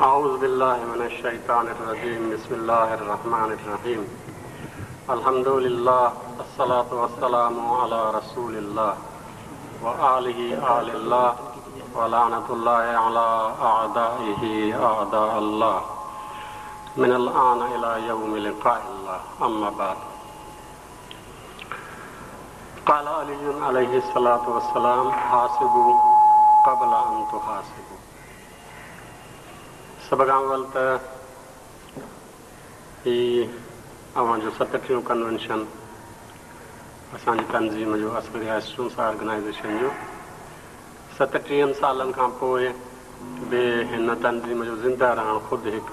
اعوذ بالله من الشيطان الرجيم بسم الله الرحمن الرحيم الحمد لله الصلاة والسلام على رسول الله وآله آل الله ولعنة الله على أعدائه أعداء الله من الآن إلى يوم لقاء الله أما بعد قال علي عليه الصلاة والسلام حاسبوا قبل أن تحاسبوا سڀ کان اول ته هي اوهان جو ستٽيهون ڪنوينشن اسان جي تنظيم جو عسڪريه اسٽوڊنٽس آرگنائيزيشن جو ستٽيهن سالن کان پوء به هن تنظيم جو زنده رهڻ خود هڪ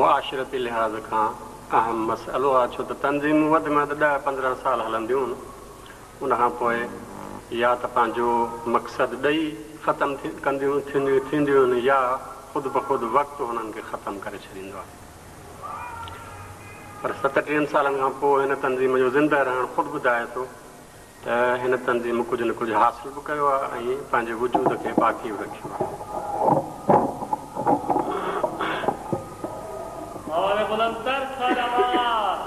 معاشرتي لحاظ کان اهم مسئلو آهي ڇو ته تنظيمون وڌ ۾ وڌ ڏهه پندرهن سال هلنديون ان کان پوء يا ته پنهنجو مقصد ڏئي ختم ڪنديون ٿينديون آهن يا خود بخود وقت هنن کي ختم ڪري ڇڏيندو آهي. پر ستٽيهن سالن کان پوء هن تنظيم جو زنده رهڻ خود ٻڌائي ٿو ته هن تنظيم ڪجهه نه ڪجهه حاصل به ڪيو آهي ۽ پنهنجي وجود کي باقي به رکيو آهي. آواز بلندتر صلوات.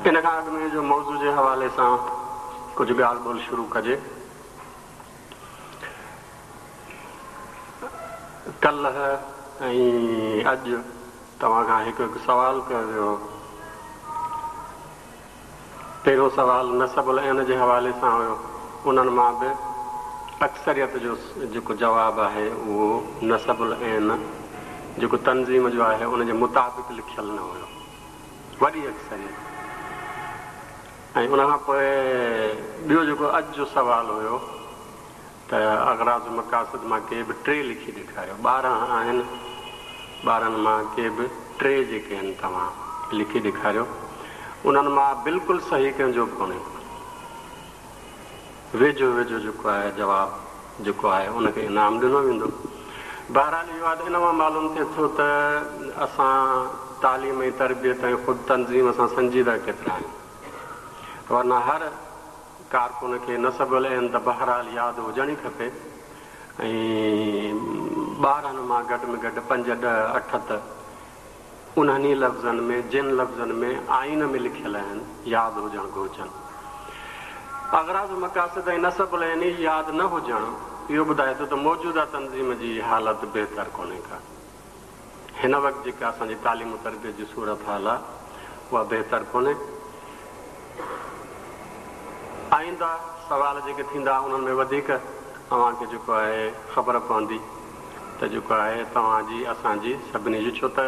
ان کان اڳ ۾ جو موضوع جي حوالي سان ڪجهه ڳالهه ٻولهه شروع ڪجي. ڪلهه ۽ اڄ توهان کان هڪ هڪ سوال ڪيو ويو هو. پهريون سوال نصب العين جي حوالي سان هيو. انهن مان به اڪثريت جو جيڪو جواب آهي اهو نصب العين جيڪو تنظيم جو آهي ان جي مطابق لکيل نه هيو. وڏي اڪثريت. ۽ ان کان پوء ٻيو جيڪو اڄ جو سوال هيو ته اغراض مقاصد مان ڪي به ٽي لکي ڏيکاريو. 12 آهن، 12 مان ڪي به ٽي جيڪي آهن توهان لکي ڏيکاريو. انهن مان بلڪل صحيح ڪنهن جو به ڪونهي. ويجهو ويجهو جيڪو آهي جواب جيڪو آهي ان کي انعام ڏنو ويندو. بهرحال اهو آهي ته ان مان معلوم ٿئي ٿو ته اسان تعليم ۽ تربيت ۽ خود تنظيم سان سنجيده ڪيترا آهيون. ورنه هر ڪارڪن کي نصب العين ته بهرحال ياد هجڻ ئي کپي ۽ 12 مان گهٽ ۾ گهٽ پنج، ڏهه، اٺ ته انهن ئي لفظن ۾ جن لفظن ۾ آئين ۾ لکيل آهن، ياد هجڻ گهرجن. اغراض و مقاصد ۽ نصب العين ئي ياد نه هجڻ اهو ٻڌائي ٿو ته موجوده تنظيم جي حالت بهتر ڪونهي ڪا. هن وقت جيڪا اسان جي تعليم و تربيت جي صورتحال آهي اها بهتر ڪونهي. آئنده سوال جيڪي ٿيندا انهن ۾ وڌيڪ اوهان کي جيڪو آهي خبر پوندي ته جيڪو آهي توهان جي اسان جي سڀني جي ڇو ته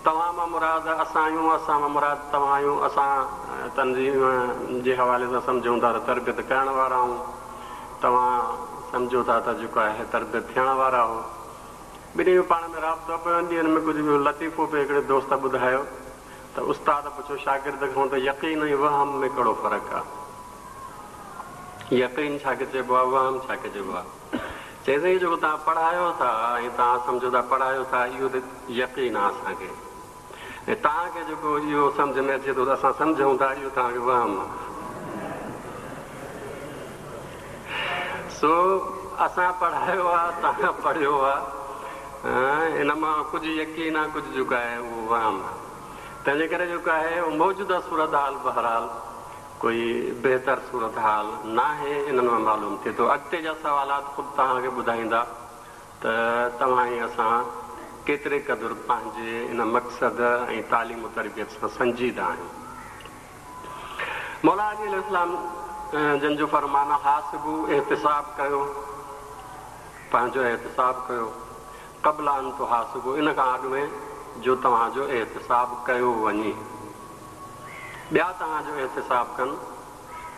توهان مان مراد اسان آهيون اسان مان مراد توهان آهيون اسان تنظيم جي حوالي سان سمجهون ٿا ته تربيت ڪرڻ وارا آهيون توهان سمجهو ٿا ته جيڪو آهي تربيت ٿيڻ وارا آهو. ٻنهي جو پاڻ ۾ رابطو پيو. ان ڏينهن ۾ ڪجهه لطيفو به هڪڙي دوست ٻڌايو ته استاد پڇيو شاگرد کان ته يقين ۽ وهم ۾ ڪهڙو فرق آ؟ يقين ڇا کي چئبو آ؟ وهم ڇا کي چئبو آ؟ چيائين سائين جيڪو توهان پڙهايو ٿا ۽ توهان سمجهو ٿا پڙهايو ٿا اهو ته يقين آ اسان کي ۽ توهان کي جيڪو اهو سمجهه ۾ اچي ٿو ته اسان سمجهون ٿا اهو توهان کي وهم آ. سو اسان پڙهايو آ توهان پڙهيو آ ان مان ڪجهه يقين آ ڪجهه جيڪو آهي اهو وهم آ. تنهنجي ڪري جيڪو آهي اهو موجوده صورتحال بهرحال ڪوئي بهتر صورتحال ناهي انهن مان معلوم ٿئي ٿو. اڳتي جا سوالات خود توهان کي ٻڌائيندا ته توهان ۽ اسان ڪيتري قدر پنهنجي ان مقصد ۽ تعليم و تربيت سان سنجيده آهيون. مولا علي عليه السلام جن جو فرمان آ، حاسبوا احتساب ڪيو، پنهنجو احتساب ڪيو، قبل ان تحاسبوا ان کان اڳ ۾ جو توهان جو احتساب ڪيو وڃي. ٻيا توهان جو احتساب ڪن،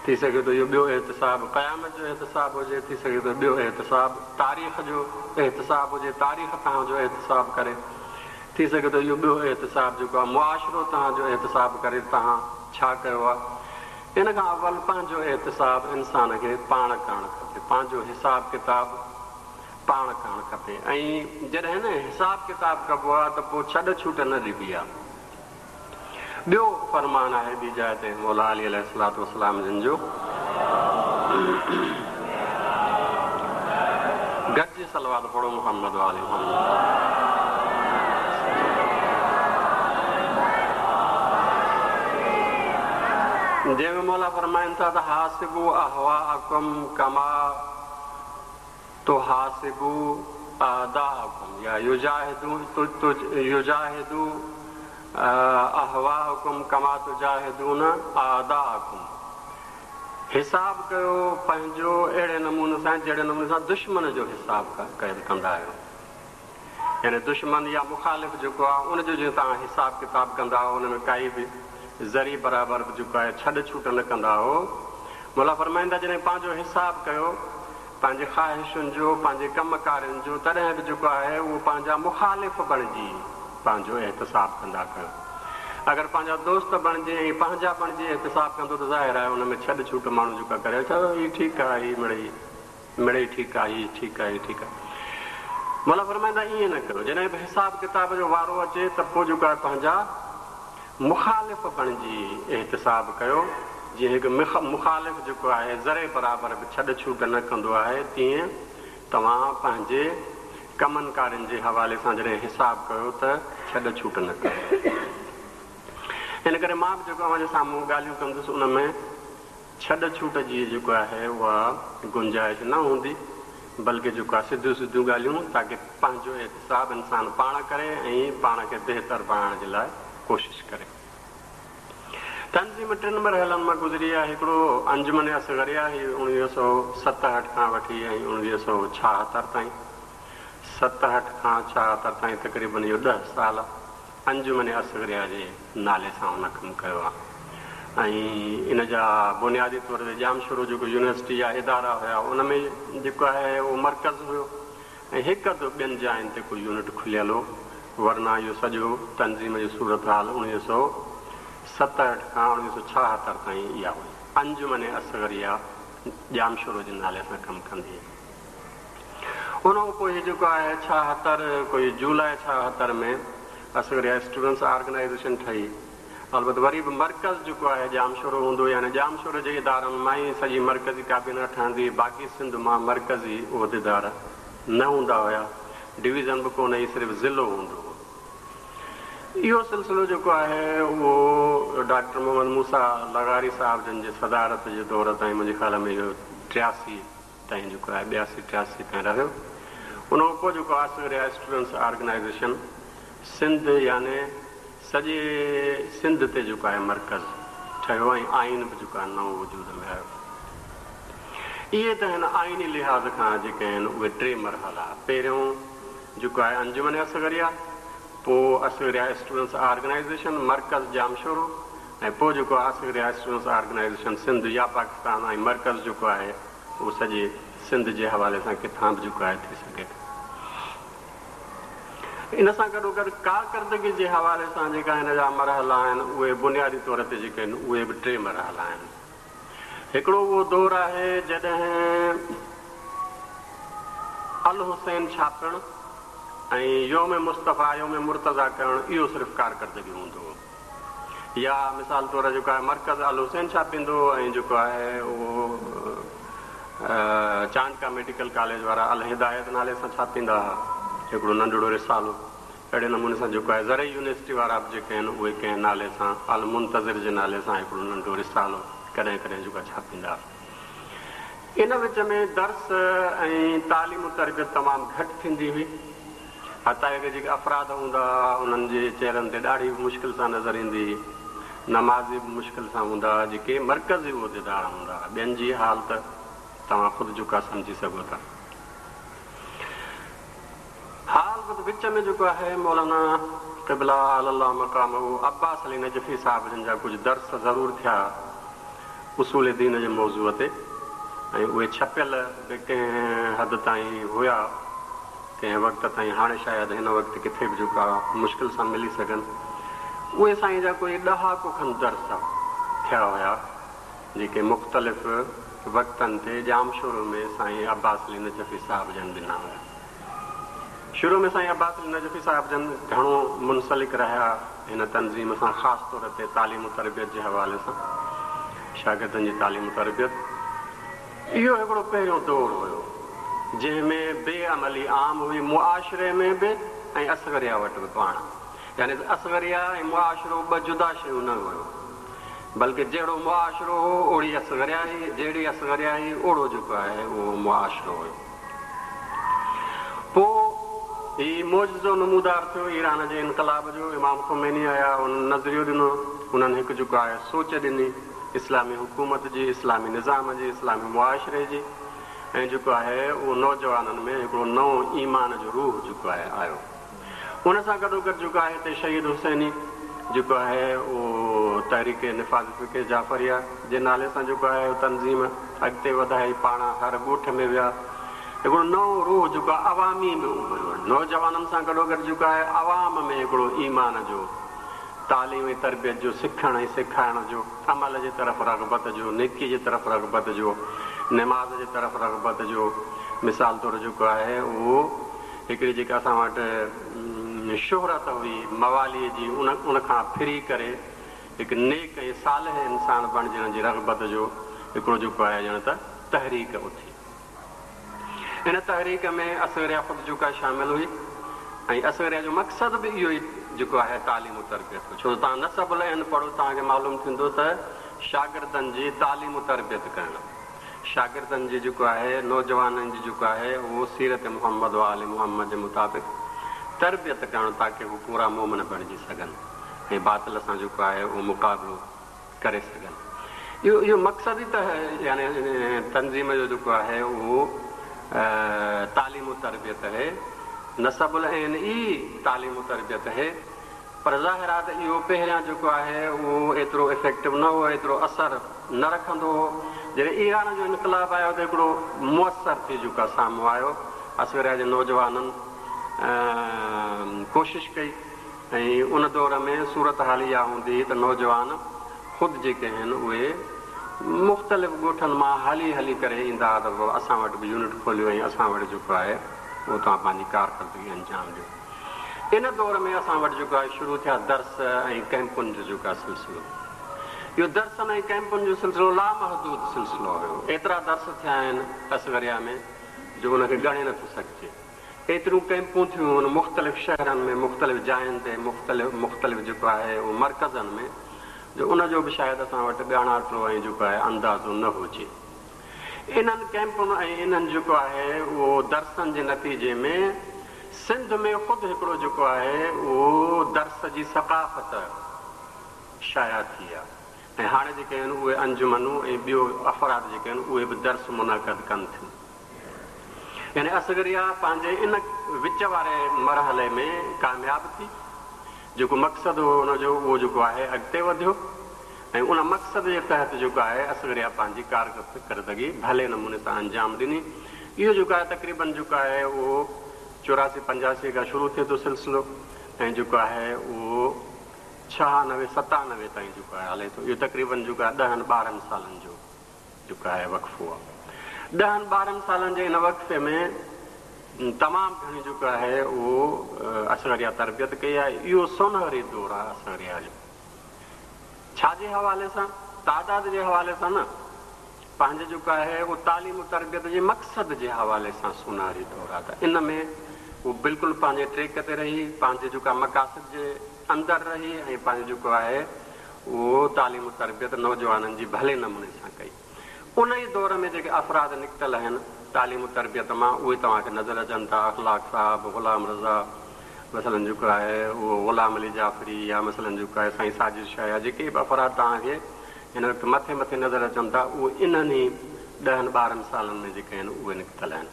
ٿي سگهي ٿو اهو ٻيو احتساب قيامت جو احتساب هجي، ٿي سگهي ٿو ٻيو احتساب تاريخ جو احتساب هجي، تاريخ توهان جو احتساب ڪري، ٿي سگهي ٿو اهو ٻيو احتساب جيڪو آهي معاشرو توهان جو احتساب ڪري ته توهان ڇا ڪيو آهي. ان کان اول پنهنجو احتساب انسان کي پاڻ ڪرڻ کپي، پنهنجو حساب ڪتاب پاڻ ڪرڻ کپي ۽ جڏهن نه حساب ڪتاب ڪبو آهي ته پوء ڇڏ ڇوٽ نه ڏبي آهي. ٻيو فرمان آهي ٻي جاء تي مولا علي عليه الصلوة والسلام جن جو، گڏجي صلوات پڙهو محمد وآل محمد. جنهن ۾ مولا فرمائن ٿا ته حاسبوا اهواءڪم ڪما تحاسبوا اعداءڪم يا يجاهدوا اهواءڪم ڪما تجاهدون اعداءڪم حساب ڪيو پنهنجو اهڙي نموني سان جهڙي نموني سان دشمن جو حساب ڪندا آهيو يعني دشمن يا مخالف جيڪو آهي ان جو جيئن توهان حساب ڪتاب ڪندا آهيو ان ۾ ڪائي به ذري برابر به جيڪو آهي ڇڏ ڇوٽ نه ڪندا آهيو مولا فرمائن ٿا جڏهن پنهنجو حساب ڪيو پنهنجي خواهشن جو، پنهنجي ڪم ڪارين جو، تڏهن به جيڪو آهي اهو پنهنجا مخالف بڻجي پنهنجو احتساب ڪندا ڪيو. اگر پنهنجا دوست بڻجي ۽ پنهنجا بڻجي احتساب ڪندو ته ظاهر آهي ان ۾ ڇڏ ڇوٽ ماڻهو جيڪا ڪري اڇا هي ٺيڪ آهي هي مڙئي مڙئي ٺيڪ آهي هي ٺيڪ آهي هي ٺيڪ آهي. مولا فرمائن ٿا ائين نه ڪيو جڏهن به حساب ڪتاب جو وارو اچي ته پوء جيڪو آهي پنهنجا مخالف بڻجي احتساب ڪيو، جيئن هڪ مخالف جيڪو آهي ذري برابر به ڇڏ ڇوٽ نه ڪندو آهي، تيئن توهان پنهنجي ڪمن ڪارين جي حوالي سان جڏهن حساب ڪيو ته ڇڏ ڇوٽ نه ڪيو. ان ڪري مان به جيڪو اوهان جي سامهون ڳالهيون ڪندس ان ۾ ڇڏ ڇوٽ جي جيڪو آهي اها گنجائش نه هوندي بلڪه جيڪو آهي سڌيون سڌيون ڳالهيون تاڪه پنهنجو احتساب انسان پاڻ ڪري ۽ پاڻ کي بهتر بڻائڻ جي لاء ڪوشش ڪري. تنظيم ٽن مرحلن مان گذري آهي هڪڙو انجمن اصغريه هي 1967 کان وٺي ۽ 1976 تائين 67 کان 76 تائين تقريبن اهو ڏهه سال انجمن اصغريه جي نالي سان هن ڪم ڪيو آهي ۽ ان جا بنيادي طور تي ڄامشورو جيڪو يونيورسٽي جا ادارا هيا ان ۾ جيڪو آهي اهو مرڪز هيو ۽ هڪ اڌ ٻين جاين تي ڪو يونٽ کليل هو ورنه اهو سڄو تنظيم جي صورتحال 1967 کان 1976 تائين اها هئي. انجمن اصغريه ڄامشورو جي نالي سان ڪم ڪندي هئي. ان کان پوء هي جيڪو آهي 76 ڪوئي جولاء 76 ۾ اصغريه اسٽوڊنٽس آرگنائيزيشن ٺهي. البت وري به مرڪز جيڪو آهي ڄامشورو هوندو يعني ڄامشورو جي ادارن مان ئي سڄي مرڪزي ڪابينا ٺهندي هئي باقي سنڌ مان مرڪزي عهديدار نه هوندا هيا ڊويزن به ڪونه هئي صرف ضلعو هوندو هو. اهو سلسلو جيڪو آهي اهو ڊاڪٽر محمد موسيٰ لغاري صاحب جن جي صدارت جي دور تائين منهنجي خيال ۾ اهو 83 تائين جيڪو آهي 82 83 تائين رهيو. ان کان پوء جيڪو اصغريه اسٽوڊنٽس آرگنائيزيشن سنڌ يعني سڄي سنڌ تي جيڪو آهي مرڪز ٺهيو ۽ آئين به جيڪو آهي نئون وجود ۾ آيو. اهي ته آهن آئيني لحاظ کان جيڪي آهن اهي ٽي مرحلا. پهريون جيڪو آهي انجمن اصغريه، پوء اصغريه اسٽوڊنٽس آرگنائيزيشن مرڪز ڄامشورو ۽ پوء جيڪو آهي اصغريه اسٽوڊنٽس آرگنائيزيشن سنڌ يا پاڪستان ۽ مرڪز جيڪو آهي اهو سڄي سنڌ جي حوالي سان ڪٿان به جيڪو آهي ٿي سگهي ٿو. ان سان گڏوگڏ ڪارڪردگي جي حوالي سان جيڪا هن جا مرحلا آهن اهي بنيادي طور تي جيڪي آهن اهي به ٽي مرحلا آهن. هڪڙو اهو دور آهي جڏهن الحسين ڇاپڻ ۽ يوم مصطفيٰ يوم مرتضيٰ ڪرڻ اهو صرف ڪارڪردگي هوندو هو. يا مثال طور جيڪو آهي مرڪز الحسين ڇاپيندو هو ۽ جيڪو آهي اهو چانڊڪا ميڊيڪل ڪاليج وارا الهدايت نالي سان ڇاپيندا ها هڪڙو ننڍڙو رسالو اهڙي نموني سان جيڪو آهي زرعي يونيورسٽي وارا به جيڪي آهن اهي ڪنهن نالي سان المنتظر جي نالي سان هڪڙو ننڍو رسالو ڪڏهن ڪڏهن جيڪو آهي ڇاپيندا ها. ان وچ ۾ درس ۽ تعليم و تربيت تمام گهٽ ٿيندي هئي. حتيٰ ڪه جيڪي افراد هوندا هئا انهن جي چهرن تي ڏاڙهي به مشڪل سان نظر ايندي هئي. نمازي به مشڪل سان هوندا هئا جيڪي مرڪزي عهديدار هوندا هئا. ٻين جي حال ته توهان خود جيڪو آهي سمجهي سگهو ٿا. ها البت وچ ۾ جيڪو آهي مولانا قبله اعلي الله مقامه عباس علي نجفي صاحب جن جا ڪجهه درس ضرور ٿيا اصول دين جي موضوع تي ۽ اهي ڇپيل به ڪنهن حد تائين هيا ڪنهن وقت تائين هاڻي شايد هن وقت ڪٿي به جيڪو آهي مشڪل سان ملي سگهن اهي سائين جا ڪوئي ڏهاڪو کن درس ٿيا هيا جيڪي مختلف وقتن تي ڄامشورو ۾ سائين عباس علي نجفي صاحب جن ڏنا هيا. شروع ۾ سائين عباس علي نجفي صاحب جن گهڻو منسلڪ رهيا هن تنظيم سان، خاص طور تي تعليم و تربيت جي حوالي سان، شاگردن جي تعليم و تربيت. اهو هڪڙو پهريون دور هيو، جنهن ۾ بي عملي عام هئي، معاشري ۾ به ۽ اصغريه وٽ به پاڻ. يعني ته اصغريه ۽ معاشرو ٻه جدا شيون نه هيو، بلڪه جهڙو معاشرو هو، اوڙي اصغريه هئي، جهڙي اصغريه هئي، اوڙو جيڪو آهي اهو معاشرو هيو. پوء هي معجزو نمودار ٿيو ايران جي انقلاب جو، امام خميني آيا، انهن نظريو ڏنو، انهن هڪ جيڪو آهي سوچ ڏني اسلامي حڪومت جي، اسلامي نظام جي، اسلامي معاشري جي ۽ جيڪو آهي اهو نوجوانن ۾ هڪڙو نئون ايمان جو روح جيڪو آهي آيو. ان سان گڏوگڏ جيڪو آهي هتي شهيد حسيني جيڪو آهي اهو تحريڪ نفاذ فقه جعفريه جي نالي سان جيڪو آهي تنظيم اڳتي وڌائي پاڻ هر ڳوٺ ۾ ويا هڪڙو نئون روح جيڪو آهي عوامي به اڀريو نوجوانن سان گڏوگڏ جيڪو آهي عوام ۾ هڪڙو ايمان جو تعليم ۽ تربيت جو سکڻ ۽ سيکارڻ جو عمل جي طرف رغبت جو نيڪي جي طرف رغبت جو نماز جي طرف رغبت جو مثال طور جيڪو آهي اهو هڪڙي جيڪا اسان وٽ شهرت هئي مواليء جي ان ان کان ڦري ڪري هڪ نيڪ ۽ صالح انسان بڻجڻ جي رغبت جو هڪڙو جيڪو آهي ڄڻ ته تحريڪ اٿي. ان تحريڪ ۾ اصغريه خود جيڪا شامل هئي ۽ اصغريه جو مقصد به اهو ئي جيڪو آهي تعليم و تربيت هو ڇو ته توهان نسب العين پڙهو توهان کي معلوم ٿيندو ته شاگردن جي تعليم و تربيت ڪرڻ شاگردن جي جيڪو آهي نوجوانن جي جيڪو آهي اهو سيرت محمد و آل محمد جي مطابق تربيت ڪرڻ تاڪه هو پورا مومن بڻجي سگهن ۽ باطل سان جيڪو آهي اهو مقابلو ڪري سگهن اهو اهو مقصد ئي ته يعني تنظيم جو جيڪو آهي اهو تعليم و تربيت هي نصب العين ئي تعليم و تربيت هي پر ظاهر آهي ته اهو پهريان جيڪو آهي اهو ايترو افيڪٽو نه هو، ايترو اثر نه رکندو هو. جڏهن ايران جو انقلاب آيو ته هڪڙو موثر ٿي جيڪو آهي سامهون آيو. اصغريه جي نوجوانن ڪوشش ڪئي ۽ ان دور ۾ صورتحال اها هوندي هئي ته نوجوان خود جيڪي آهن اهي مختلف ڳوٺن مان هلي هلي ڪري ايندا هئا ته بابا اسان وٽ به يونٽ کوليو ۽ اسان وٽ جيڪو آهي اهو توهان پنهنجي ڪارڪردگي انجام ڏيو. ان دور ۾ اسان وٽ جيڪو آهي شروع ٿيا درس ۽ ڪئمپن جو جيڪو آهي سلسلو. اهو درسن ۽ ڪئمپن جو سلسلو لامحدود سلسلو هيو. ايترا درس ٿيا آهن اصغريه ۾ جو ان کي ڳڻي نٿو سگهجي. ايتريون ڪئمپون ٿيون آهن مختلف شهرن ۾ مختلف جاين تي مختلف مختلف جيڪو آهي اهو مرڪزن ۾ جو ان جو به شايد اسان وٽ ڳاڻاٽو ۽ جيڪو آهي اندازو نه هجي. انهن ڪئمپن ۽ انهن جيڪو آهي اهو درسن جي نتيجي ۾ سنڌ ۾ خود هڪڙو جيڪو آهي اهو درس جي ثقافت شايع ٿي آ ۽ هاڻي جيڪي آهن اهي انجمنون ۽ ٻيو افراد جيڪي آهن اهي به درس منعقد ڪن ٿيون يعني اصغريه پنهنجي ان وچ واري مرحلي ۾ ڪامياب ٿي جيڪو مقصد هو ان جو اهو جيڪو آهي اڳتي وڌيو ۽ ان مقصد جي تحت جيڪو آهي اصغريه پنهنجي ڪارڪردگي ڀلي نموني سان انجام ڏني. اهو جيڪو آهي تقريبن جيڪو آهي اهو 84 85 کان شروع ٿئي ٿو سلسلو ۽ جيڪو آهي اهو 96 97 تائين جيڪو آهي هلي ٿو. اهو تقريبن جيڪو آهي ڏهن 12 سالن جو جيڪو آهي وقفو آهي. ڏهن 12 سالن جي ان وقفي ۾ تمام گهڻي جيڪو آهي اهو اصغريه تربيت ڪئي آهي. اهو سونهري دور آهي اصغريه جو. ڇا جي حوالي سان؟ تعداد جي حوالي سان نه، پنهنجي جيڪو آهي اهو تعليم و تربيت جي مقصد جي حوالي سان سونهري دور آهي ته ان ۾ هو بلڪل پنهنجي ٽريڪ تي رهي، پنهنجي جيڪو آهي مقاصد جي اندر رهي ۽ پنهنجو جيڪو آهي اهو تعليم و تربيت نوجوانن جي ڀلي نموني سان ڪئي. ان ئي دور ۾ جيڪي افراد نڪتل آهن تعليم و تربيت مان اهي توهان کي نظر اچن ٿا، اخلاق صاحب، غلام رضا مثلاً جيڪو آهي اهو غلام علي جعفري يا مثلاً جيڪو آهي سائين ساجد شاهه يا جيڪي به افراد توهان کي هن وقت مٿي مٿي نظر اچن ٿا اهي انهن ئي ڏهن 12 سالن ۾ جيڪي آهن اهي نڪتل آهن.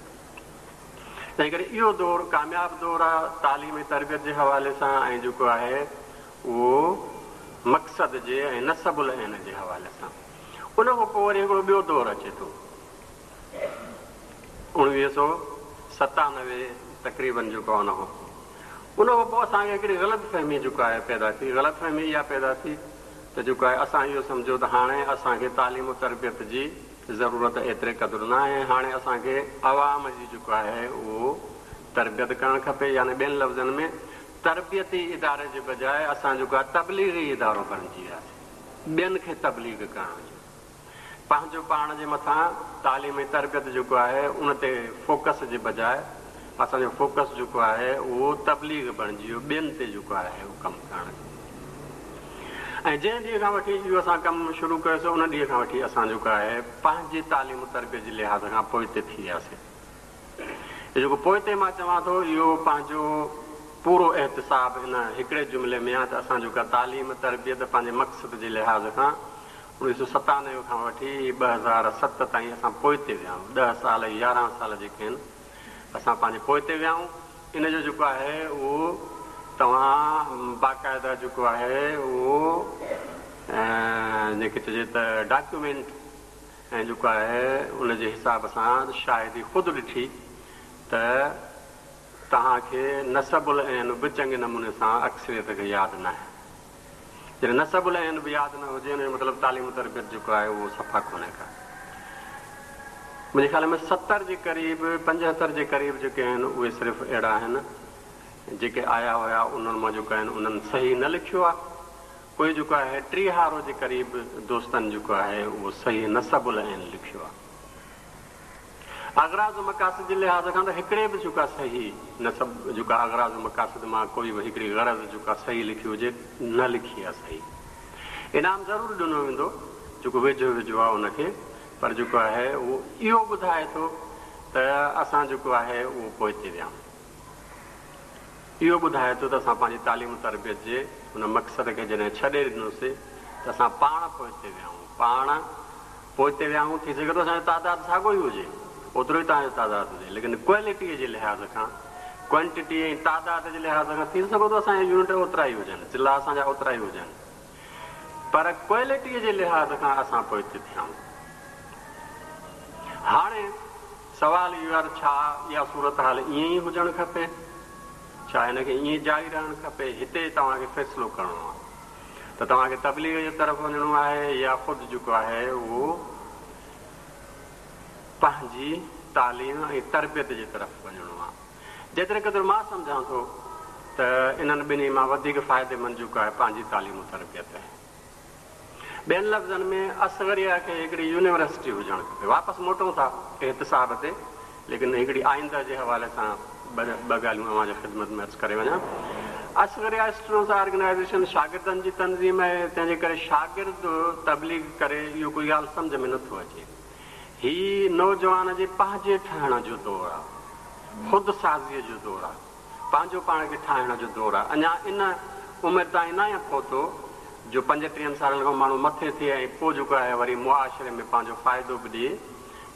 تنهن ڪري اهو دور ڪامياب دور آهي تعليم ۽ تربيت جي حوالي سان ۽ جيڪو آهي اهو مقصد جي ۽ نصب العين جي حوالي سان. ان کان پوء وري هڪڙو ٻيو دور اچي ٿو. 1997 تقريبن جيڪو آهي ان کان پوء. ان کان پوء اسان کي هڪڙي غلط فهمي جيڪو آهي پيدا ٿي. غلط فهمي اها پيدا ٿي ته جيڪو آهي اسان اهو سمجهيو ته هاڻي اسان کي تعليم و تربيت جي ضرورت ايتري قدر نه آهي. هاڻي اسان کي عوام جي جيڪو آهي اهو تربيت ڪرڻ کپي يعني ٻين لفظن ۾ تربيتي اداري جي بجاء اسان جيڪو آهي تبليغي ادارو بڻجي وياسين ٻين کي تبليغ ڪرڻ جو پنهنجو پاڻ جي مٿان تعليم ۽ تربيت جيڪو آهي ان تي فوڪس جي بجاء اسان جو فوڪس جيڪو آهي اهو تبليغ بڻجي ويو ٻين تي جيڪو آهي اهو ڪم ڪرڻ جو ۽ جنهن ڏينهن کان وٺي اهو اسان ڪم شروع ڪيوسين ان ڏينهن کان وٺي اسان جيڪو آهي پنهنجي تعليم و تربيت جي لحاظ کان پوئتي ٿي وياسين. هي جيڪو پوئتي مان چوان ٿو اهو پنهنجو پورو احتساب ان هڪڙي جملي ۾ آهي ته اسان جيڪا تعليم تربيت پنهنجي مقصد جي لحاظ کان 1997 کان وٺي 2007 تائين اسان پوئتي ويا آهيون ڏهه سال 11 سال جيڪي آهن اسان پنهنجي پوئتي ويا آهيون ان جو جيڪو آهي اهو توهان باقاعده جيڪو آهي اهو جنهن کي چئجي ته ڊاڪيومينٽ ۽ جيڪو آهي ان جي حساب سان شاهدي خود ڏٺي ته توهان کي نصب العين به چڱي نموني سان اڪثريت کي ياد ناهي. جڏهن نصب العين به ياد نه هجي ان جو مطلب تعليم و تربيت جيڪو آهي اهو صفا ڪونهي ڪا. منهنجي خيال ۾ 70 جي قريب 75 جي قريب جيڪي آهن اهي صرف اهڙا آهن جيڪي آيا هيا انهن مان جيڪو آهن انهن صحيح نه لکيو آهي. پوء جيڪو آهي ٽيهارو جي قريب دوستن جيڪو آهي اهو صحيح نصب العين لکيو آهي. اغراض و مقاصد جي لحاظ کان ته هڪڙي به جيڪو آهي صحيح نصب جيڪو آهي اغراض و مقاصد مان ڪوئي به هڪڙي غرض جيڪو آهي صحيح لکي هجي نه لکي آهي صحيح. انعام ضرور ڏنو ويندو جيڪو ويجهو ويجهو آهي ان کي پر جيڪو آهي اهو اهو ٻڌائي ٿو ته اسان جيڪو آهي اهو پوئتي ويا آهيون. اهو ٻڌائي ٿو ته اسان پنهنجي تعليم و تربيت جي ان مقصد کي جڏهن ڇڏي ڏنوسي ته اسان پاڻ پوئتي ويا آهيون. پاڻ پوئتي ويا آهيون، ٿي سگهي ٿو اسان جو تعداد ساڳيو ئي هجي، اوترو ئي توهان جو تعداد هجي، ليڪن ڪوالٽيء جي لحاظ کان، ڪوانٽٽي ۽ تعداد جي لحاظ کان ٿي سگهي ٿو اسان جا يونٽ اوترا ئي هجن، ضلعا اسان جا اوترا ئي هجن، پر ڪوالٽيء جي لحاظ کان اسان پوئتي ٿيا آهيون. هاڻي سوال اهو آهي ته ڇا اها صورتحال ائين ئي هجڻ کپي؟ ڇا هن کي ائين ئي جاري رهڻ کپي؟ هتي توهان کي فيصلو ڪرڻو آهي ته توهان کي تبليغ جي طرف وڃڻو آهي يا خود جيڪو آهي اهو پنهنجي تعليم ۽ تربيت جي طرف وڃڻو آهي. جيتري قدر مان سمجهان ٿو ته انهن ٻنهي مان وڌيڪ فائديمند جيڪو آهي پنهنجي تعليم و تربيت آهي. ٻين لفظن ۾ اصغريه کي هڪڙي يونيورسٽي هجڻ کپي. واپس موٽون ٿا احتساب تي، ليڪن هڪڙي آئنده جي حوالي سان ٻه ڳالهيون اوهان جي خدمت ۾ عرض ڪري وڃان. اصغريه اسٽوڊنٽس آرگنائيزيشن شاگردن جي تنظيم آهي، تنهن جي ڪري شاگرد تبليغ ڪري اهو ڪوئي ڳالهه سمجهه ۾ نٿو اچي. هي نوجوان جي پنهنجي ٺهڻ جو دور آهي، خود سازيء جو دور آهي. پنهنجو پاڻ کي ٺاهڻ جو دور آهي. اڃا ان عمر تائين ناهي پهتو جو پنجٽيهن سالن کان ماڻهو مٿي ٿئي ۽ پوء جيڪو آهي وري معاشري ۾ پنهنجو فائدو به ڏئي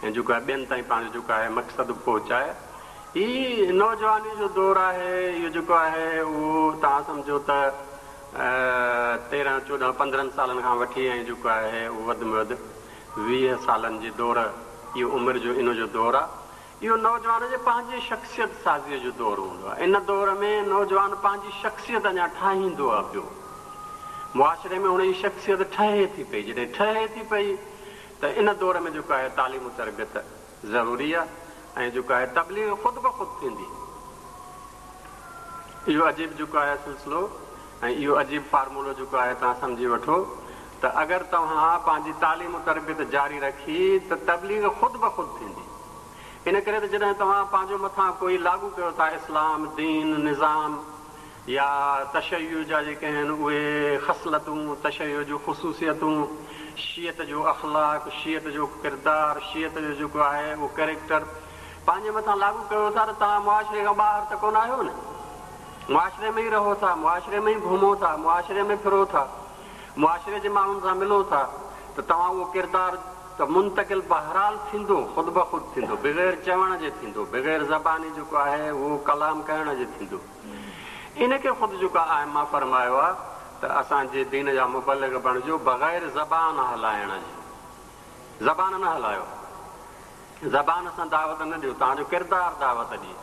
۽ جيڪو آهي ٻين تائين پنهنجو جيڪو آهي مقصد به پهچائي. هي نوجواني جو دور آهي. اهو جيڪو آهي اهو توهان سمجهو ته 13، 14، 15 سالن کان وٺي ۽ جيڪو آهي اهو وڌ ۾ وڌ 20 سالن جي دور اهو عمر جو ان جو دور آهي. اهو نوجوان جي پنهنجي شخصيت سازيء جو دور هوندو آهي. ان دور ۾ نوجوان پنهنجي شخصيت اڃا ٺاهيندو آهي پيو. معاشري ۾ هن جي شخصيت ٺهي ٿي پئي. جڏهن ٺهي ٿي پئي ته ان دور ۾ جيڪو آهي تعليم و تربيت ضروري آهي ۽ جيڪو آهي تبليغ خود بخود ٿيندي. اهو عجيب جيڪو آهي سلسلو ۽ اهو عجيب فارمولو جيڪو آهي توهان سمجهي وٺو ته اگر توهان پنهنجي تعليم و تربيت جاري رکي ته تبليغ خود بخود ٿيندي. ان ڪري ته جڏهن توهان پنهنجو مٿان ڪوئي لاڳو ڪيو ٿا اسلام، دين، نظام يا تشيع جا جيڪي آهن اهي خصلتون، تشيع جون خصوصيتون، شيعت جو اخلاق، شيعت جو ڪردار، شيعت جو جيڪو آهي اهو ڪريڪٽر پنهنجي مٿان لاڳو ڪيو ٿا ته توهان معاشري کان ٻاهر ته ڪونه آهيو نه. معاشري ۾ ئي رهو ٿا، معاشري ۾ ئي گهمو ٿا، معاشري ۾ ڦرو ٿا، معاشري جي ماڻهن سان ملو ٿا ته توهان اهو ڪردار ته منتقل بهرحال ٿيندو، خود بخود ٿيندو، بغير چوڻ جي ٿيندو، بغير زباني جيڪو آهي اهو ڪلام ڪرڻ جي ٿيندو. ان کي خود جيڪو ائمه فرمايو آهي ته اسان جي دين جا مبلغ بڻجو بغير زبان هلائڻ جي. زبان نه هلايو. زبان سان دعوت نه ڏيو، توهان جو ڪردار دعوت ڏئي.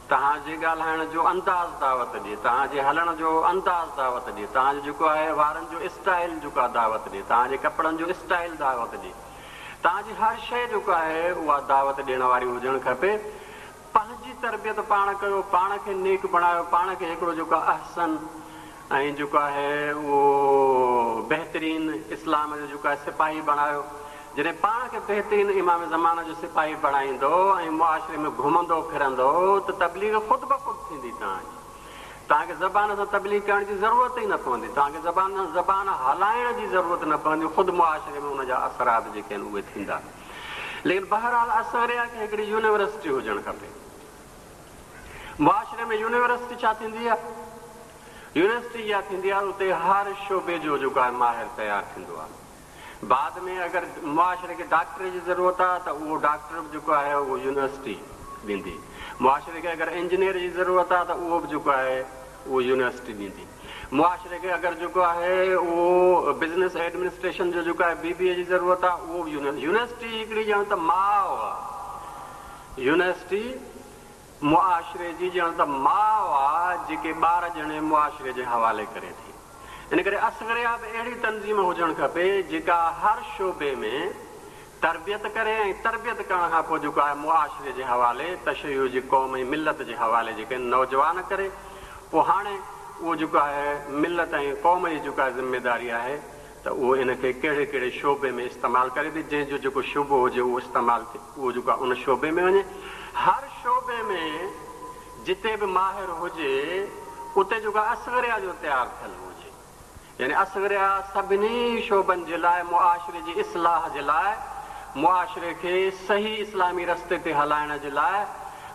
توهان جي ڳالهائڻ جو انداز دعوت ڏئي، توهان جي هلڻ جو انداز دعوت ڏئي، توهان جو جيڪو آهي وارن جو اسٽائيل جيڪو آهي دعوت ڏئي، توهان جي ڪپڙن جو اسٽائيل دعوت ڏئي، توهان جي هر شيء جيڪو آهي اها دعوت ڏيڻ واري هجڻ کپي. پنهنجي. پنهنجي تربيت پاڻ ڪيو، پاڻ کي نيڪ بڻايو، پاڻ کي هڪڙو جيڪو آهي احسن ۽ جيڪو آهي اهو بهترين اسلام جو جيڪو آهي سپاهي بڻايو. جڏهن پاڻ کي بهترين امام زمانه جو سپاهي بڻائيندو ۽ معاشري ۾ گهمندو ڦرندو ته تبليغ خود بخود ٿيندي توهان جي. توهان کي زبان سان تبليغ ڪرڻ جي ضرورت ئي نه پوندي. توهان کي زبان سان زبان هلائڻ جي ضرورت نه پوندي. خود معاشري ۾ ان جا اثرات جيڪي آهن اهي ٿيندا. ليڪن بهرحال اصغريه کي هڪڙي يونيورسٽي هجڻ کپي. معاشري ۾ يونيورسٽي ڇا ٿيندي آهي؟ يونيورسٽي اها ٿيندي آهي اتي هر شعبي جو جيڪو آهي ماهر تيار ٿيندو آهي. بعد ۾ اگر معاشري کي ڊاڪٽر جي ضرورت آهي ته اهو ڊاڪٽر به جيڪو آهي اهو يونيورسٽي ڏيندي. معاشري کي اگر انجنيئر جي ضرورت آهي ته اهو به جيڪو آهي اهو يونيورسٽي ڏيندي. معاشري کي اگر جيڪو آهي اهو بزنس ايڊمنسٽريشن جو جيڪو آهي بي بي اي جي ضرورت آهي اهو به يونيورسٽي هڪڙي ڄڻ ته ماء آهي. يونيورسٽي معاشري جي ڄڻ ته ماء آهي جيڪي ٻار ڄڻي معاشري جي حوالي ڪري ٿي. ان ڪري اصغريه به اهڙي تنظيم هجڻ کپي جيڪا هر شعبي ۾ تربيت ڪري ۽ تربيت ڪرڻ کان پوء جيڪو آهي معاشري جي حوالي تشيع جي قوم ۽ ملت جي حوالي جيڪي نوجوان ڪري پوء هاڻي اهو جيڪو آهي ملت ۽ قوم جي جيڪا ذميداري آهي ته اهو ان کي ڪهڙي ڪهڙي شعبي ۾ استعمال ڪري ٿي جنهن جو جيڪو شعبو هجي اهو استعمال ٿئي اهو جيڪو آهي ان شعبي ۾ وڃي هر شعبي ۾ جتي به ماهر هجي اتي جيڪو آهي اصغريه جو تيار ٿيل هجي يعني اصغريه سڀني شعبن جي لاء معاشري جي اصلاح جي لاء معاشري کي صحيح اسلامي رستي تي هلائڻ جي لاء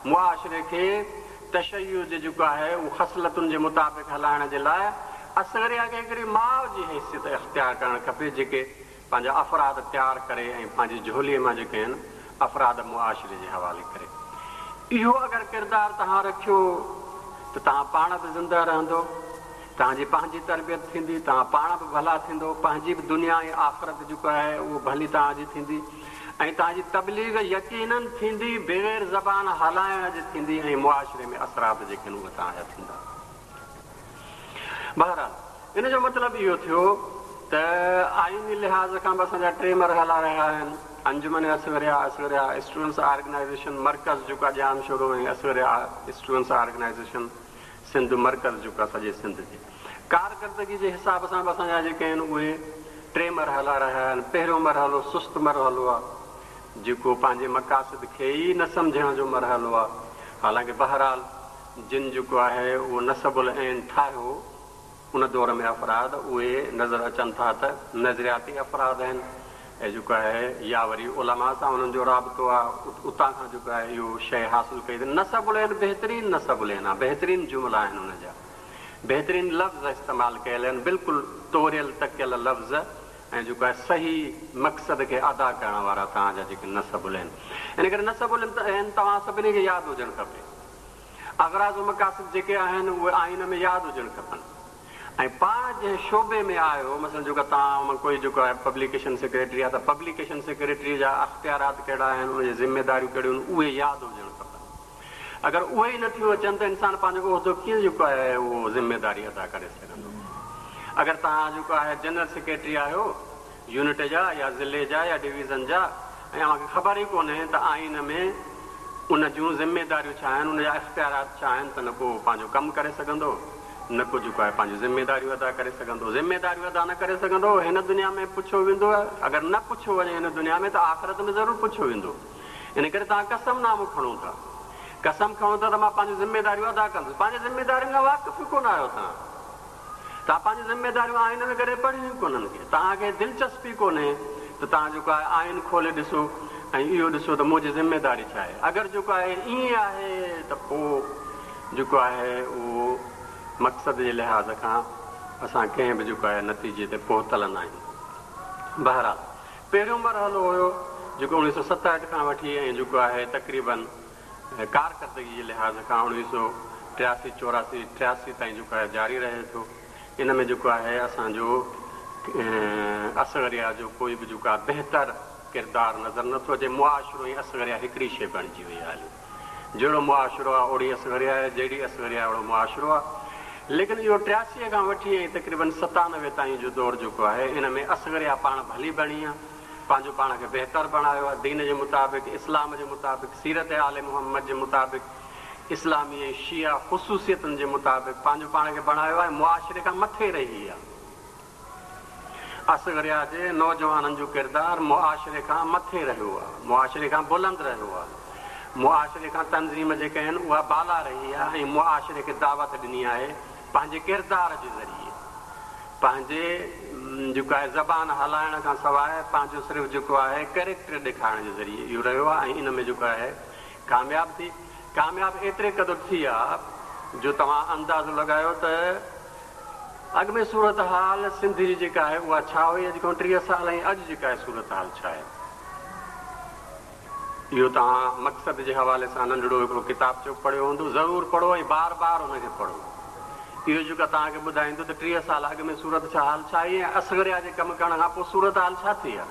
معاشري کي تشيع جي جيڪو آهي اهو خصلتن جي مطابق هلائڻ جي لاء اصغريه کي هڪڙي ماء جي حيثيت اختيار ڪرڻ کپي جيڪي پنهنجا افراد تيار ڪري ۽ پنهنجي جهوليء مان جيڪي آهن افراد معاشري جي حوالي ڪري. اهو اگر ڪردار توهان رکيو ته توهان پاڻ به زنده رهندو، توهان جي پنهنجي تربيت ٿيندي، توهان پاڻ به ڀلا ٿيندو، پنهنجي به دنيا ۽ آخرت جيڪو آهي اهو ڀلي توهان جي ٿيندي ۽ توهان جي تبليغ يقيناً ٿيندي بغير زبان هلائڻ جي ٿيندي ۽ معاشري ۾ اثرات جيڪي آهن اهي توهان جا ٿيندا. بهرحال ان جو مطلب اهو ٿيو ته آئيني لحاظ کان به اسان جا ٽي مرحلا رهيا آهن، انجمن اصغريه، اصغريه اسٽوڊنٽس آرگنائيزيشن مرڪز جيڪو آهي ڄامشورو ۽ اصغريه اسٽوڊنٽس آرگنائيزيشن سنڌ مرڪز جيڪو آهي سڄي سنڌ جي ڪارڪردگي جي حساب سان به اسان جا جيڪي آهن اهي ٽي مرحلا رهيا آهن. پهريون مرحلو سست مرحلو آهي جيڪو پنهنجي مقاصد کي ئي نه سمجهڻ جو مرحلو آهي حالانڪه بهرحال جن جيڪو آهي اهو نصب العين ٺاهيو ان دور ۾ افراد اهي نظر اچن ٿا ته نظرياتي افراد آهن ۽ جيڪو آهي يا وري علماء سان انهن جو رابطو آهي اتان کان جيڪو آهي اهو شيء حاصل ڪئي اٿن نصب العين بهترين نصب العين آهي بهترين جملا آهن ان جا بهترين لفظ استعمال ڪيل آهن بلڪل توريل تڪيل لفظ ۽ جيڪو آهي صحيح مقصد کي ادا ڪرڻ وارا توهان جا جيڪي نصب العين ان ڪري نصب العين توهان سڀني کي ياد هجڻ کپي. اغراض و مقاصد جيڪي آهن اهي آئين ۾ ياد هجڻ کپن ۽ پاڻ جنهن شعبي ۾ آهيو مثلاً جيڪو توهان مان ڪوئي جيڪو آهي پبليڪيشن سيڪريٽري آهي ته پبليڪيشن سيڪريٽري جا اختيارات ڪهڙا آهن ان جي ذميداريون ڪهڙيون آهن اهي ياد هجڻ کپن اگر اهي ئي نه ٿيون اچن ته انسان پنهنجو عهدو ڪيئن جيڪو آهي اهو ذميداري ادا ڪري سگهندو اگر توهان جيڪو آهي جنرل سيڪريٽري آهيو يونٽ جا يا ضلعي جا يا ڊويزن جا ۽ اوهان کي خبر ئي ڪونهي ته آئين ۾ ان جون ذميداريون ڇا آهن، ان جا اختيارات ڇا آهن ته نه ڪو پنهنجو ڪم ڪري سگهندو، نه ڪو جيڪو آهي پنهنجون ذميداريون ادا ڪري سگهندو. ذميداريون ادا نه ڪري سگهندو، هن دنيا ۾ پڇيو ويندو، اگر نه پڇيو وڃي هن دنيا ۾ ته آخرت ۾ ضرور پڇيو ويندو. ان ڪري توهان قسم نامو کڻو ٿا، قسم کڻو ٿا ته مان پنهنجون ذميداريون ادا ڪندس، پنهنجي ذميدارين کان واقف ئي ڪونه آهيو توهان. توهان پنهنجون ذميداريون آئين ۾ ڪڏهن پڙهيون ئي ڪونهن ڪي توهان کي دلچسپي ڪونهي ته توهان جيڪو آهي آئين کولي ڏسو ۽ اهو ڏسو ته منهنجي ذميداري ڇا آهي اگر جيڪو آهي ائين آهي ته پوء جيڪو آهي اهو مقصد جي لحاظ کان اسان ڪنهن به جيڪو آهي نتيجي تي پهتل نه آهيون بهرحال پهريون مرحلو هيو جيڪو 1967 کان وٺي ۽ جيڪو آهي تقريبن ڪارڪردگي جي لحاظ کان 1983، 84، 83 تائين جيڪو آهي جاري رهي ٿو. ان ۾ جيڪو آهي اسان جو اصغريه جو ڪوئي به جيڪو آهي بهتر ڪردار نظر نه ٿو اچي. معاشرو ۽ اصغريه هڪڙي شيء بڻجي وئي آهي. جهڙو معاشرو آهي اوڙي اصغريه آهي، جهڙي اصغريه آهي اوڙو معاشرو آهي. ليڪن اهو 83 کان وٺي ۽ تقريبن 97 تائين جو دور جيڪو آهي ان ۾ اصغريه پاڻ ڀلي بڻي آهي. پنهنجو پاڻ کي بهتر بڻايو آهي، دين جي مطابق، اسلام جي مطابق، سيرت آل محمد جي مطابق اسلامي ۽ شيعه خصوصيتن جي مطابق پنهنجو پاڻ کي بڻايو آهي ۽ معاشري کان مٿي رهي آهي. اصغريه جي نوجوانن جو ڪردار معاشري کان مٿي رهيو آهي، معاشري کان بلند رهيو آهي، معاشري کان تنظيم جيڪا آهن اها بالا رهي آهي ۽ معاشري کي دعوت ڏني آهي پنهنجي ڪردار جي ذريعي پنهنجي جيڪو آهي زبان هلائڻ کان سواء پنهنجو صرف جيڪو آهي ڪريڪٽر ڏيکارڻ جي ذريعي اهو رهيو آهي ۽ ان ۾ جيڪو آهي ڪامياب ٿي ڪامياب ايتري قدر ٿي آ جو توهان اندازو لڳايو ته اڳ ۾ صورتحال سنڌ جي جيڪا آهي اها ڇا هئي اڄ کان 30 سال ۽ اڄ جيڪا آهي صورتحال ڇا آهي. اهو توهان مقصد جي حوالي سان ننڍڙو هڪڙو ڪتابچو پڙهيو هوندو، ضرور پڙهو ۽ بار بار ان کي پڙهو. اهو جيڪو توهان کي ٻڌائيندو ته 30 سال اڳ ۾ صورتحال ڇا هئي ۽ اصغريه جي ڪم ڪرڻ کان پوء صورتحال ڇا ٿي آهي.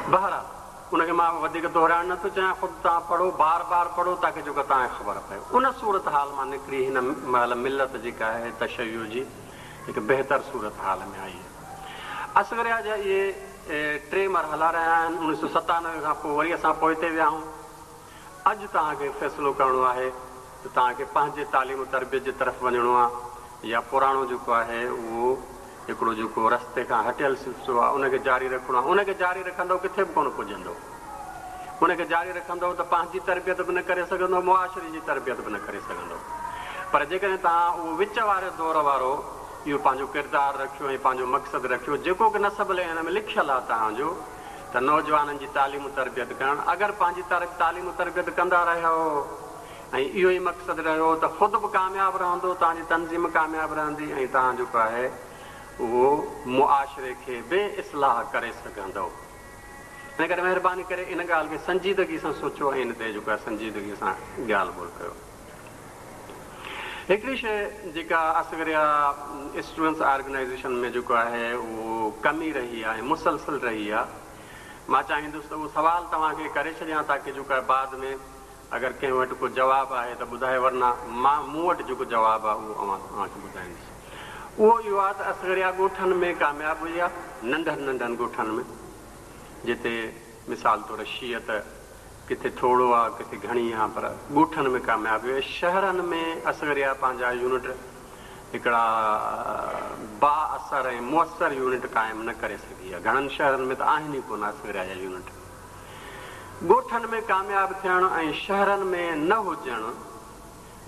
بهرحال ان کي مان وڌيڪ دهرائڻ نه ٿو چاهيان، خود توهان پڙهو، بار بار پڙهو تاڪه جيڪو توهان کي خبر پئي. ان صورتحال مان نڪري هن مهل ملت جيڪا آهي تشيع جي هڪ بهتر صورتحال ۾ آئي آهي. اصغريه جا اهي ٽي مرحلا رهيا آهن. 1997 کان پوء وري اسان پوئتي ويا آهيون. اڄ توهان کي فيصلو ڪرڻو آهي ته توهان کي پنهنجي تعليم و تربيت جي طرف وڃڻو آهي يا پراڻو جيڪو آهي اهو هڪڙو جيڪو رستي کان هٽيل سلسلو آهي ان کي جاري رکڻو آهي. ان کي جاري رکندؤ ڪٿي به ڪونه پڄندؤ. ان کي جاري رکندؤ ته پنهنجي تربيت به نه ڪري سگهندؤ، معاشري جي تربيت به نه ڪري سگهندؤ. پر جيڪڏهن توهان اهو وچ واري دور وارو اهو پنهنجو ڪردار رکيو ۽ پنهنجو مقصد رکيو جيڪو ڪه نصب العين ۾ لکيل آهي توهان جو ته نوجوانن جي تعليم و تربيت ڪرڻ اگر پنهنجي تعليم و تربيت ڪندا رهيؤ ۽ اهو ئي مقصد رهيو ته خود به ڪامياب رهندو توهان جي تنظيم ڪامياب رهندي ۽ توهان جيڪو آهي اهو معاشري کي به اصلاح ڪري سگهندؤ. ان ڪري مهرباني ڪري ان ڳالهه کي سنجيدگي سان سوچو ۽ ان تي جيڪو آهي سنجيدگي سان ڳالهه ٻولهه ڪيو. هڪڙي شيء جيڪا اصغريه اسٽوڊنٽس آرگنائيزيشن ۾ جيڪو آهي اهو ڪمي رهي آهي ۽ مسلسل رهي آهي. مان چاهيندس ته اهو سوال توهان کي ڪري ڇڏيان تاڪه جيڪو آهي بعد ۾ اگر ڪنهن وٽ ڪو جواب آهي ته ٻڌائي ورنه مان مون وٽ جيڪو جواب آهي اهو اوهان اوهان کي ٻڌائيندس. اهو اهو آهي ته اصغريه ڳوٺن ۾ ڪامياب هئي آهي ننڍن ننڍن ڳوٺن ۾ جتي مثال طور شيعت ڪٿي ٿورو آ ڪٿي گهڻي آ پر ڳوٺن ۾ ڪامياب ويو. شهرن ۾ اصغريه پنهنجا يونٽ هڪڙا با اثر ۽ موثر يونٽ قائم نه ڪري سگهي آ. گهڻن شهرن ۾ ته آهن ئي ڪونه اصغريه جا يونٽ. ڳوٺن ۾ ڪامياب ٿيڻ ۽ شهرن ۾ نه هجڻ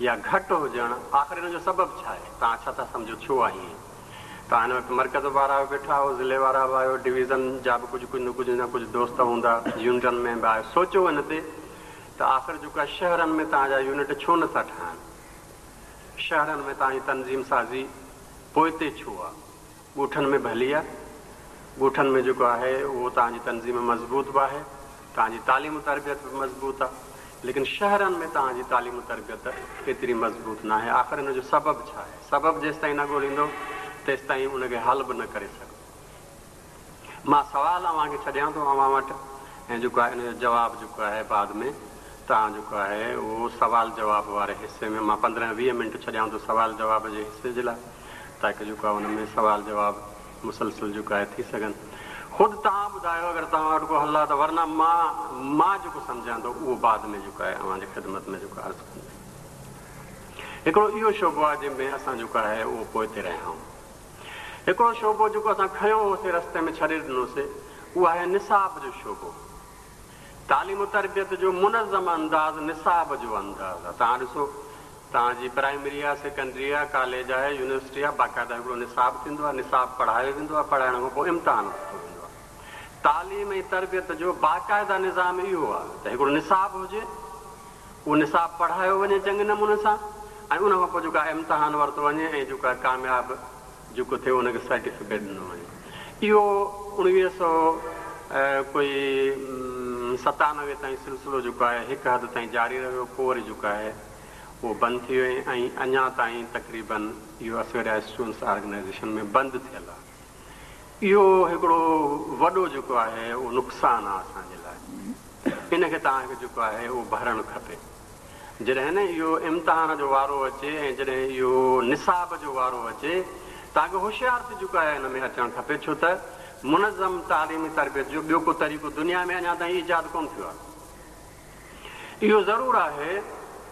يا گهٽ هجڻ آخر ان جو سبب ڇا آهي؟ توهان ڇا ٿا سمجهو ڇو آهي ائين؟ توهان هن وقت مرڪز وارا به ويٺا آهيو، ضلعي وارا به آهيو، ڊويزن جا به ڪجهه ڪجهه نه ڪجهه نه ڪجهه دوست هوندا، يونٽن ۾ به آهيو، سوچو ان تي ته آخر جيڪو آهي شهرن ۾ توهان جا يونٽ ڇو نه ٿا ٺهن؟ شهرن ۾ توهان جي تنظيم سازي پوئتي ڇو آهي؟ ڳوٺن ۾ ڀلي آهي، ڳوٺن ۾ جيڪو آهي اهو توهان جي تنظيم مضبوط به آهي، توهان جي تعليم و تربيت به مضبوط آ ليڪن شهرن ۾ توهان جي تعليم و تربيت ايتري مضبوط ناهي آخر ان جو سبب ڇا آهي سبب جيستائين نه ڳوليندو تيستائين ان کي حل به نه ڪري سگهبو مان سوال اوهان کي ڇڏيان ٿو اوهان وٽ ۽ جيڪو آهي ان جو جواب جيڪو آهي بعد ۾ توهان جيڪو آهي اهو سوال جواب واري حصي ۾ مان 15 20 منٽ ڇڏيان ٿو سوال جواب جي حصي جي لاء تاڪه جيڪو آهي ان ۾ سوال جواب مسلسل جيڪو آهي ٿي سگهن. خود توهان ٻڌايو اگر توهان وٽ ڪو حل آهي ته ورنه مان مان جيڪو سمجهان ٿو اهو بعد ۾ جيڪو آهي اوهان جي خدمت ۾ جيڪو عرض ڪندس. هڪڙو اهو شعبو آهي جنهن ۾ اسان جيڪو آهي اهو پوئتي رهيا آهيون. هڪڙو شعبو جيڪو اسان کنيو هوسي رستي ۾ ڇڏي ڏنوسي اهو آهي نصاب جو شعبو. تعليم و تربيت جو منظم انداز نصاب جو انداز آهي. توهان ڏسو توهان جي پرائمري آ، سيڪنڊري آ، ڪاليج آهي، يونيورسٽي آ، باقاعده هڪڙو نصاب ٿيندو آ، نصاب پڙهايو ويندو آ، پڙهائڻ کان پوء امتحان ورتو ويندو آ. تعليم ۽ تربيت جو باقاعده نظام اهو آ ته هڪڙو نصاب هجي، اهو نصاب پڙهايو وڃي چڱي نموني سان ۽ ان کان پوء جيڪو آ امتحان ورتو وڃي ۽ جيڪو آ ڪامياب جيڪو ٿئي ان کي سرٽيفڪيٽ ڏنو وڃي. اهو 1900 ڪوئي 97 تائين سلسلو جيڪو آهي هڪ حد تائين جاري رهيو پوء وري جيڪو آهي اهو بند ٿي ويو ۽ اڃا تائين تقريبن اهو اصغريه اسٽوڊنٽس آرگنائيزيشن ۾ بند ٿيل آهي. اهو هڪڙو وڏو جيڪو آهي اهو نقصان آهي اسان جي لاء. ان کي توهان کي جيڪو آهي اهو ڀرڻ کپي. جڏهن نه اهو امتحان جو وارو اچي ۽ جڏهن اهو نصاب جو وارو اچي توهان کي هوشيار ٿي جيڪو آهي ان ۾ اچڻ کپي ڇو ته منظم تعليمي تربيت جو ٻيو ڪو طريقو دنيا ۾ اڃا تائين ايجاد ڪونه ٿيو آهي. اهو ضرور آهي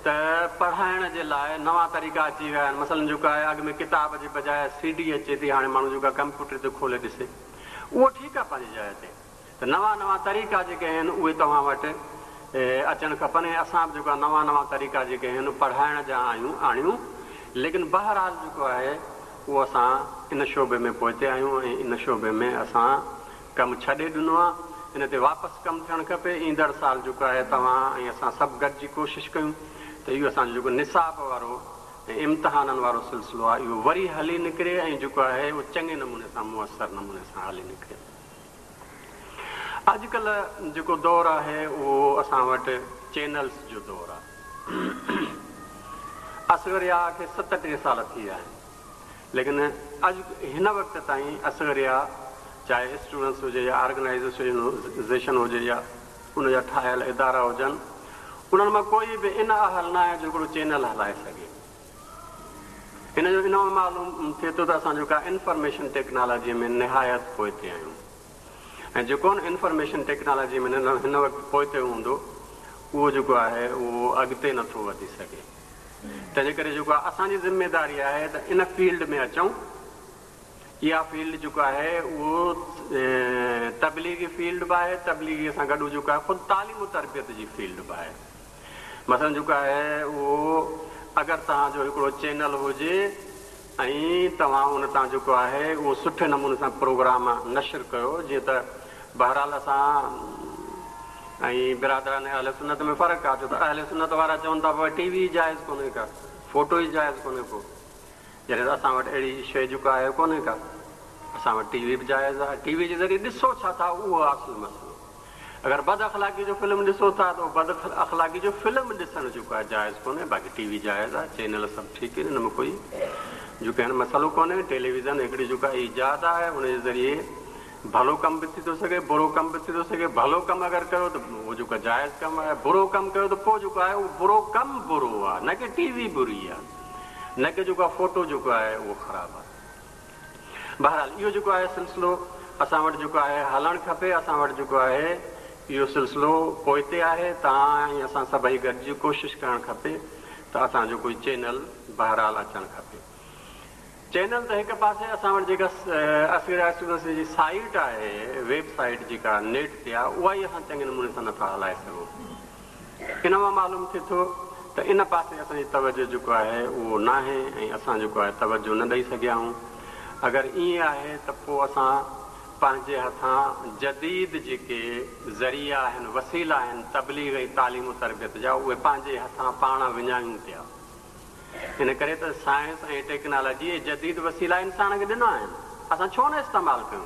ته پڙهائڻ جي لاء نوان طريقا اچي ويا آهن. مثلاً جيڪو آهي اڳ ۾ ڪتاب جي بجاء سي ڊي اچي ٿي، هاڻي ماڻهو جيڪو آهي ڪمپيوٽر تي کولي ڏسي. اهو ٺيڪ آهي پنهنجي جاء تي ته نوان نوان طريقا جيڪي آهن اهي توهان وٽ اچڻ کپن ۽ اسان به جيڪو آهي نوان نوان طريقا جيڪي آهن پڙهائڻ جا آيون آڻيون ليڪن بهرحال جيڪو آهي اهو اسان ان شعبي ۾ پوئتي آهيون ۽ ان شعبي ۾ اسان ڪم ڇڏي ڏنو آهي ان تي واپس ڪم ٿيڻ کپي ايندڙ سال جيڪو آهي توهان ۽ اسان سڀ گڏجي ڪوشش ڪيون ته اهو اسان جو جيڪو نصاب وارو ۽ امتحانن وارو سلسلو آهي اهو وري هلي نڪري ۽ جيڪو آهي اهو چڱي نموني سان موثر نموني سان هلي نڪري. اڄڪلهه جيڪو دور آهي اهو اسان وٽ چينلز جو دور آهي. اصغر يحيٰ کي 37 سال ٿي ويا آهن ليڪن اڄ هن وقت تائين اصغر يحيٰ چاهي اسٽوڊنٽس هجي يا آرگنائيزيشن هجي يا ان جا ٺاهيل ادارا هجن انهن مان ڪوئي به ان اهل نه آهي جو هڪڙو چينل هلائي سگهي. ان جو ان مان معلوم ٿئي ٿو ته اسان جيڪا انفارميشن ٽيڪنالاجيء ۾ نهايت پوئتي آهيون ۽ جيڪو ان انفارميشن ٽيڪنالاجيء ۾ هن وقت پوئتي هوندو اهو جيڪو آهي اهو اڳتي نه ٿو وڌي سگهي. تنهنجي ڪري جيڪو آهي اسان جي ذميداري آهي ته ان فيلڊ ۾ اچون. اها فيلڊ جيڪو آهي اهو تبليغي فيلڊ به آهي، تبليغي سان گڏ جيڪو آهي خود تعليم و تربيت جي فيلڊ به آهي. مثلاً جيڪو آهي اهو اگر توهان جو هڪڙو چينل هجي ۽ توهان ان تان جيڪو آهي اهو سٺي نموني سان پروگرام نشر ڪيو جيئن ته بهرحال اسان ۽ برادران اهل سنت ۾ فرق آهي ڇو ته اهل سنت وارا چون ٿا بابا ٽي وي ئي جائز ڪونهي ڪا فوٽو ئي جائز ڪونهي ڪو جڏهن ته اسان وٽ اهڙي شيء جيڪو آهي ڪونهي ڪا. اسان وٽ ٽي وي به جائز آهي. ٽي وي جي ذريعي ڏسو ڇا ٿا اهو آهي اصل مسئلو. اگر بد اخلاقي جو فلم ڏسو ٿا ته اهو بد اخلاقي جو فلم ڏسڻ جيڪو آهي جائز ڪونهي باقي ٽي وي جائز آهي چينل سڀ ٺيڪ آهن ان ۾ ڪوئي جيڪو آهي مسئلو ڪونهي. ٽيليويزن هڪڙي جيڪو آهي ايجاد آهي ان جي ذريعي ڀلو ڪم به ٿي ٿو سگهي برو ڪم به ٿي ٿو سگهي. ڀلو ڪم اگر ڪيو ته اهو جيڪو آهي جائز ڪم آهي برو ڪم ڪيو ته پوء جيڪو آهي اهو برو ڪم برو آهي نه ڪي ٽي وي بري آهي. نه ڪي جيڪو آهي فوٽو جيڪو آهي اهو خراب آهي. بهرحال اهو جيڪو آهي سلسلو اسان وٽ جيڪو آهي هلڻ کپي اسان وٽ جيڪو آهي اهو سلسلو پوئتي آهي توهان ۽ اسان سڀئي گڏجي ڪوشش ڪرڻ کپي ته اسان جو ڪوئي چينل بهرحال اچڻ کپي. چينل ته هڪ پاسي اسان وٽ جيڪا اصغر اسٽوڊنٽس جي سائيٽ آهي ويب سائيٽ جيڪا نيٽ تي آهي اها ئي اسان چڱي نموني سان نٿا هلائي سگهون. ان مان معلوم ٿئي ٿو ته ان پاسي اسان جي توجه جيڪو آهي اهو ناهي ۽ اسان جيڪو آهي توجه نه ڏئي سگهيا آهيون. اگر ائين آهي ته پوء اسان پنهنجي هٿان جديد جيڪي ذريعا آهن، وسيلا آهن تبليغ ۽ تعليم و تربيت جا اهي پنهنجي هٿان پاڻ وڃايون پيا. ان ڪري ته سائنس ۽ ٽيڪنالاجي اهي جديد وسيلا انسان کي ڏنا آهن، اسان ڇو نه استعمال ڪيون؟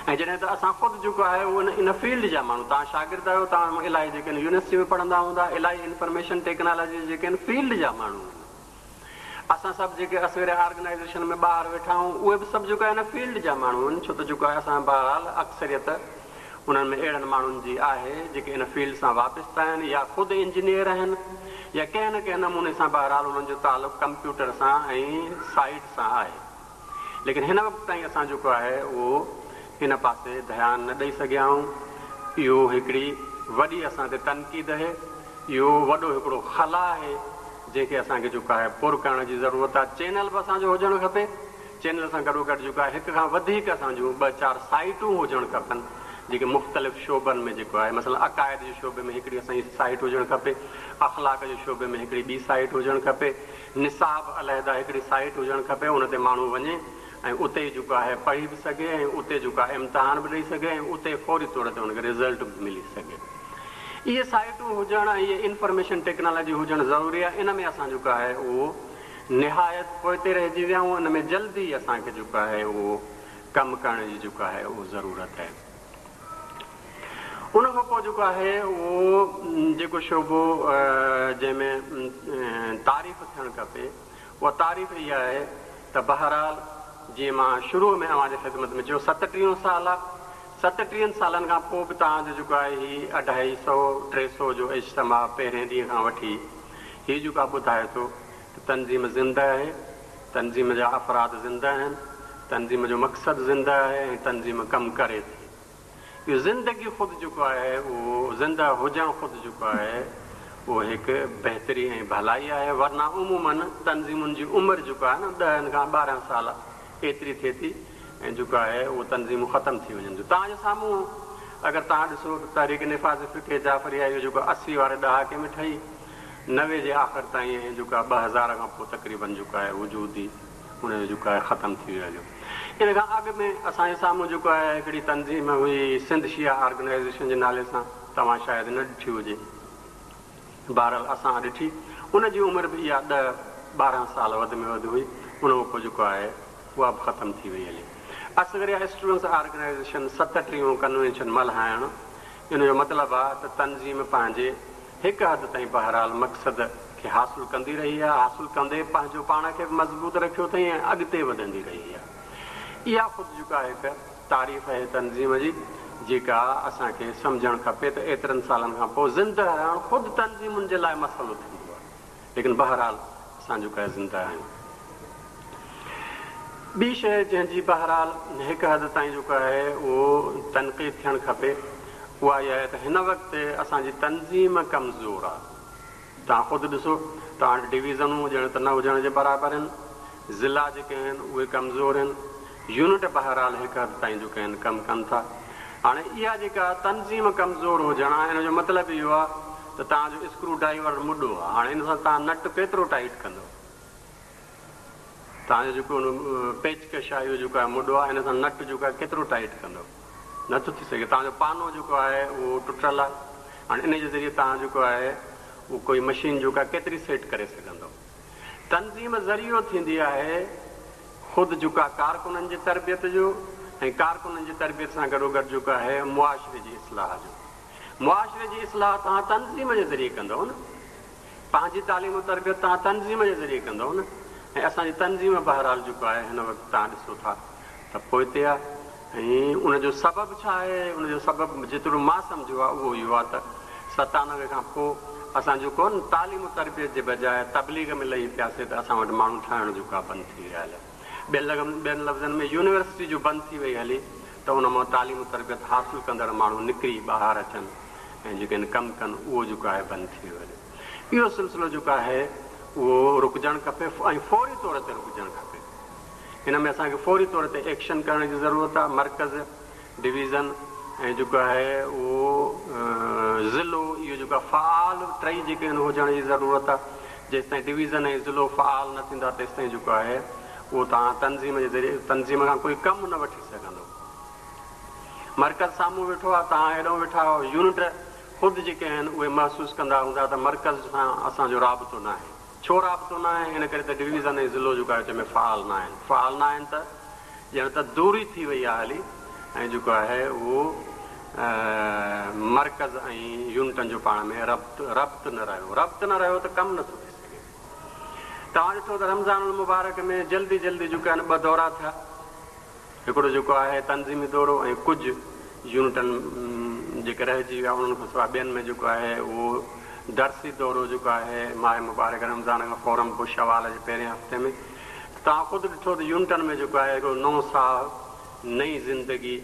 ۽ جڏهن ته اسان خود جيڪو آهي اهو ان فيلڊ جا ماڻهو، توهان شاگرد آهيو، توهان مان الائي جيڪي آهن يونيورسٽي ۾ پڙهندا هوندا، الائي انفارميشن ٽيڪنالاجي جي جيڪي آهن فيلڊ جا ماڻهو آهن. اسان سڀ جيڪي اصغر آرگنائيزيشن ۾ ٻاهر ويٺا آهيون اهي به سڀ جيڪو آهي ان فيلڊ جا ماڻهو آهن ڇو ته جيڪو آهي اسان بهرحال اڪثريت انهن ۾ اهڙن ماڻهن جي آهي جيڪي ان فيلڊ سان وابسته آهن يا خود انجنيئر آهن يا ڪنهن نه ڪنهن نموني سان بهرحال انهن جو تعلق ڪمپيوٽر سان ۽ سائيٽ سان آهي. ليڪن هن وقت تائين اسان جيڪو آهي اهو ان پاسي ڌيان نه ڏئي سگهيا آهيون. اهو هڪڙي وڏي اسان تي تنقيد اهي. اهو وڏو هڪڙو خلا آهي جنهن کي اسان کي جيڪو آهي پر ڪرڻ جي ضرورت آهي. چينل به اسان جو هجڻ کپي. چينل سان گڏوگڏ جيڪو آهي هڪ کان وڌيڪ اسان جون ٻه چار سائيٽون هجڻ کپن جيڪي مختلف شعبن ۾ جيڪو آهي مثلاً عقائد جي شعبي ۾ هڪڙي اسان جي سائيٽ هجڻ کپي، اخلاق جي شعبي ۾ هڪڙي ٻي سائيٽ هجڻ کپي. نصاب علحده هڪڙي سائيٽ هجڻ کپي ان تي ماڻهو وڃي ۽ اتي ئي جيڪو آهي پڙهي به سگهي ۽ اتي جيڪو آهي امتحان به ڏئي سگهي ۽ اتي فوري طور تي ان کي رزلٽ به ملي سگهي. اهي سائيٽون هجڻ ۽ اهي انفارميشن ٽيڪنالاجي هجڻ ضروري آهي ان ۾ اسان جيڪو آهي اهو نهايت پوئتي رهجي ويا آهيون ان ۾ جلدي اسان کي جيڪو آهي اهو ڪم ڪرڻ جي جيڪو آهي اهو ضرورت آهي. ان کان پوء جيڪو آهي اهو جيڪو شعبو جنهن ۾ تعريف ٿيڻ کپي اها تعريف اها آهي ته بهرحال جيئن مان شروع ۾ اوهان جي خدمت ۾ چيو ستٽيهون سال آهي ستٽيهن سالن کان پوء به توهان جو جيڪو آهي هي اڍائي سئو ٽي سئو جو اجتماع پهرين ڏينهن کان وٺي هي جيڪو آهي ٻڌائي ٿو ته تنظيم زنده آهي تنظيم جا افراد زنده آهن، تنظيم جو مقصد زنده آهي ۽ تنظيم ڪم ڪري ٿي. اهو زندگي خود جيڪو آهي اهو زنده هجڻ خود جيڪو آهي اهو هڪ بهتري ۽ ڀلائي آهي ورنه عموماً تنظيمن جي عمر جيڪو آهي نه ڏهن کان 12 سال ايتري ٿئي ٿي ۽ جيڪو آهي اهو تنظيمون ختم ٿي وڃن ٿيون. توهان جي سامهون اگر توهان ڏسو ته تحريڪ نفاذ فقه جعفريه اهو جيڪو 80 واري ڏهاڪي ۾ ٺهي 90 جي آخر تائين ۽ جيڪو آهي 2000 کان پوء تقريباً جيڪو آهي وجود ئي ان جو جيڪو آهي ختم ٿي ويو هليو. ان کان اڳ ۾ اسان جي سامهون جيڪو آهي هڪڙي تنظيم هئي سنڌ شيعه آرگنائيزيشن جي نالي سان توهان شايد نه ڏٺي هجي. بهرحال اسان ڏٺي. ان جي عمر به اها ڏهه 12 سال وڌ ۾ وڌ هئي. ان کان پوء جيڪو آهي اها به ختم ٿي وئي هلي. اصغريه اسٽوڊنٽس آرگنائيزيشن 37 ڪنوينشن ملهائڻ ان جو مطلب آ ته تنظيم پنهنجي هڪ حد تائين بهرحال مقصد کي حاصل ڪندي رهي آ، حاصل ڪندي پنهنجو پاڻ کي به مضبوط رکيو اٿئي ۽ اڳتي وڌندي رهي آ. اها خود جيڪا هڪ تعريف آهي تنظيم جي جيڪا اسان کي سمجهڻ کپي ته ايترن سالن کان پوء زنده رهڻ خود تنظيمن جي لاء مسئلو ٿيندو آهي ليڪن بهرحال اسان جيڪا زنده آهيون. ٻي شيء جنهن جي بهرحال هڪ حد تائين جيڪو آهي اهو تنقيد ٿيڻ کپي اها اها آهي ته هن وقت اسان جي تنظيم ڪمزور آهي. توهان خود ڏسو توهان وٽ ڊويزنون ڄڻ ته نه هجڻ جي برابر آهن، ضلعا جيڪي آهن اهي ڪمزور آهن، يونٽ بهرحال هڪ حد تائين جيڪي آهن ڪم ڪن ٿا. هاڻي اها جيڪا تنظيم ڪمزور هجڻ آهي ان جو مطلب اهو آهي ته توهان جو اسڪرو ڊرائيور مڏو آهي، هاڻي ان سان توهان نٽ ڪيترو ٽائيٽ ڪندؤ؟ توهان جو جيڪو پيچڪش آهي اهو جيڪو آهي مڏو آهي ان سان نٽ جيڪو آهي ڪيترو ٽائيٽ ڪندؤ؟ نه ٿو ٿي سگهي. توهان جو پانو جيڪو آهي اهو ٽٽل آهي. هاڻي ان جي ذريعي توهان جيڪو آهي اهو ڪوئي مشين جيڪو آهي ڪيتري سيٽ ڪري سگهندؤ. تنظيم ذريعو ٿيندي آهي خود جيڪو آهي ڪارڪنن جي تربيت جو ۽ ڪارڪنن جي تربيت سان گڏوگڏ جيڪو آهي معاشري جي اصلاح جو. معاشري جي اصلاح توهان تنظيم جي ذريعي ڪندؤ نه. پنهنجي تعليم و تربيت توهان تنظيم جي ذريعي ڪندؤ نه ۽ اسان جي تنظيم بهرحال جيڪو آهي هن وقت توهان ڏسو ٿا ته پوئتي آهي ۽ ان جو سبب ڇا آهي؟ ان جو سبب جيترو مان سمجهيو آهي اهو اهو آهي ته 97 کان پوء اسان جيڪو آهي نه تعليم و تربيت جي بجاء تبليغ ۾ لهي پياسي ته اسان وٽ ماڻهو ٺاهڻ جيڪو آهي بند ٿي ويا هليا. ٻين لفظن ۾ يونيورسٽي جو بند ٿي وئي هلي ته ان مان تعليم و تربيت حاصل ڪندڙ ماڻهو نڪري ٻاهر اچن ۽ جيڪي آهن ڪم ڪن اهو جيڪو آهي بند ٿي ويو هليو. اهو سلسلو جيڪو آهي اهو رڪجڻ کپي ۽ فوري طور تي رڪجڻ کپي. ان ۾ اسان کي فوري طور تي ايڪشن ڪرڻ جي ضرورت آهي. مرڪز، ڊويزن ۽ جيڪو آهي اهو ضلعو اهو جيڪو آهي فعال ٽئي جيڪي آهن هجڻ جي ضرورت آهي. جيستائين ڊويزن ۽ ضلعو فعال نه ٿيندا تيستائين جيڪو آهي اهو توهان تنظيم جي ذريعي تنظيم کان ڪوئي ڪم نه وٺي سگهندو. مرڪز سامهون ويٺو آهي توهان هيڏانهن ويٺا آهيو. يونٽ خود جيڪي آهن اهي محسوس ڪندا هوندا ته مرڪز سان اسان جو رابطو ناهي. ڇو رابطو ناهي؟ ان ڪري ته ڊويزن ۽ ضلعو جيڪو آهي وچ ۾ فعال ناهن. فعال ناهن ته ڄڻ ته دوري ٿي وئي آهي هلي ۽ جيڪو آهي اهو مرڪز ۽ يونٽن جو پاڻ ۾ ربط ربط نه رهيو. ربط نه رهيو ته ڪم نٿو ٿي سگهي. توهان ڏٺو ته رمضان المبارڪ ۾ جلدي جلدي جيڪي آهن ٻه دورا ٿيا. هڪڙو جيڪو آهي تنظيمي دورو ۽ ڪجهه يونٽن جيڪي رهجي ويا انهن کان سواء ٻين ۾ جيڪو آهي اهو درسي دورو جيڪو آهي ماه مبارڪ رمضان کان فورن پوء شوال جي پهرين هفتي ۾ ته توهان خود ڏٺو ته يونٽن ۾ جيڪو آهي هڪڙو نئون ساهه نئين زندگي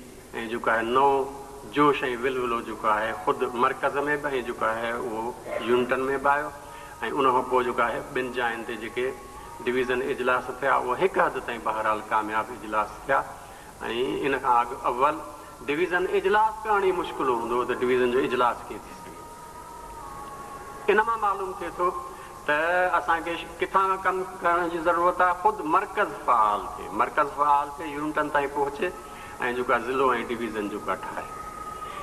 ۽ جيڪو آهي نئون جوش ۽ ولولو جيڪو آهي خود مرڪز ۾ به ۽ جيڪو آهي اهو يونٽن ۾ به آيو ۽ ان کان پوء جيڪو آهي ٻن جاين تي جيڪي ڊويزن اجلاس ٿيا اهي هڪ حد تائين بهرحال ڪامياب اجلاس ٿيا ۽ ان کان اڳ اول ڊويزن اجلاس ڪرڻ ئي مشڪل هوندو هو ته ڊويزن جو اجلاس ڪيئن ٿي سگهي. ان مان معلوم ٿئي ٿو ته اسان کي ڪٿان کان ڪم ڪرڻ جي ضرورت آهي، خود مرڪز فعال ٿئي، مرڪز فعال ٿئي يونٽن تائين پهچي ۽ جيڪو آهي ضلعو ۽ ڊويزن جيڪو آهي ٺاهي.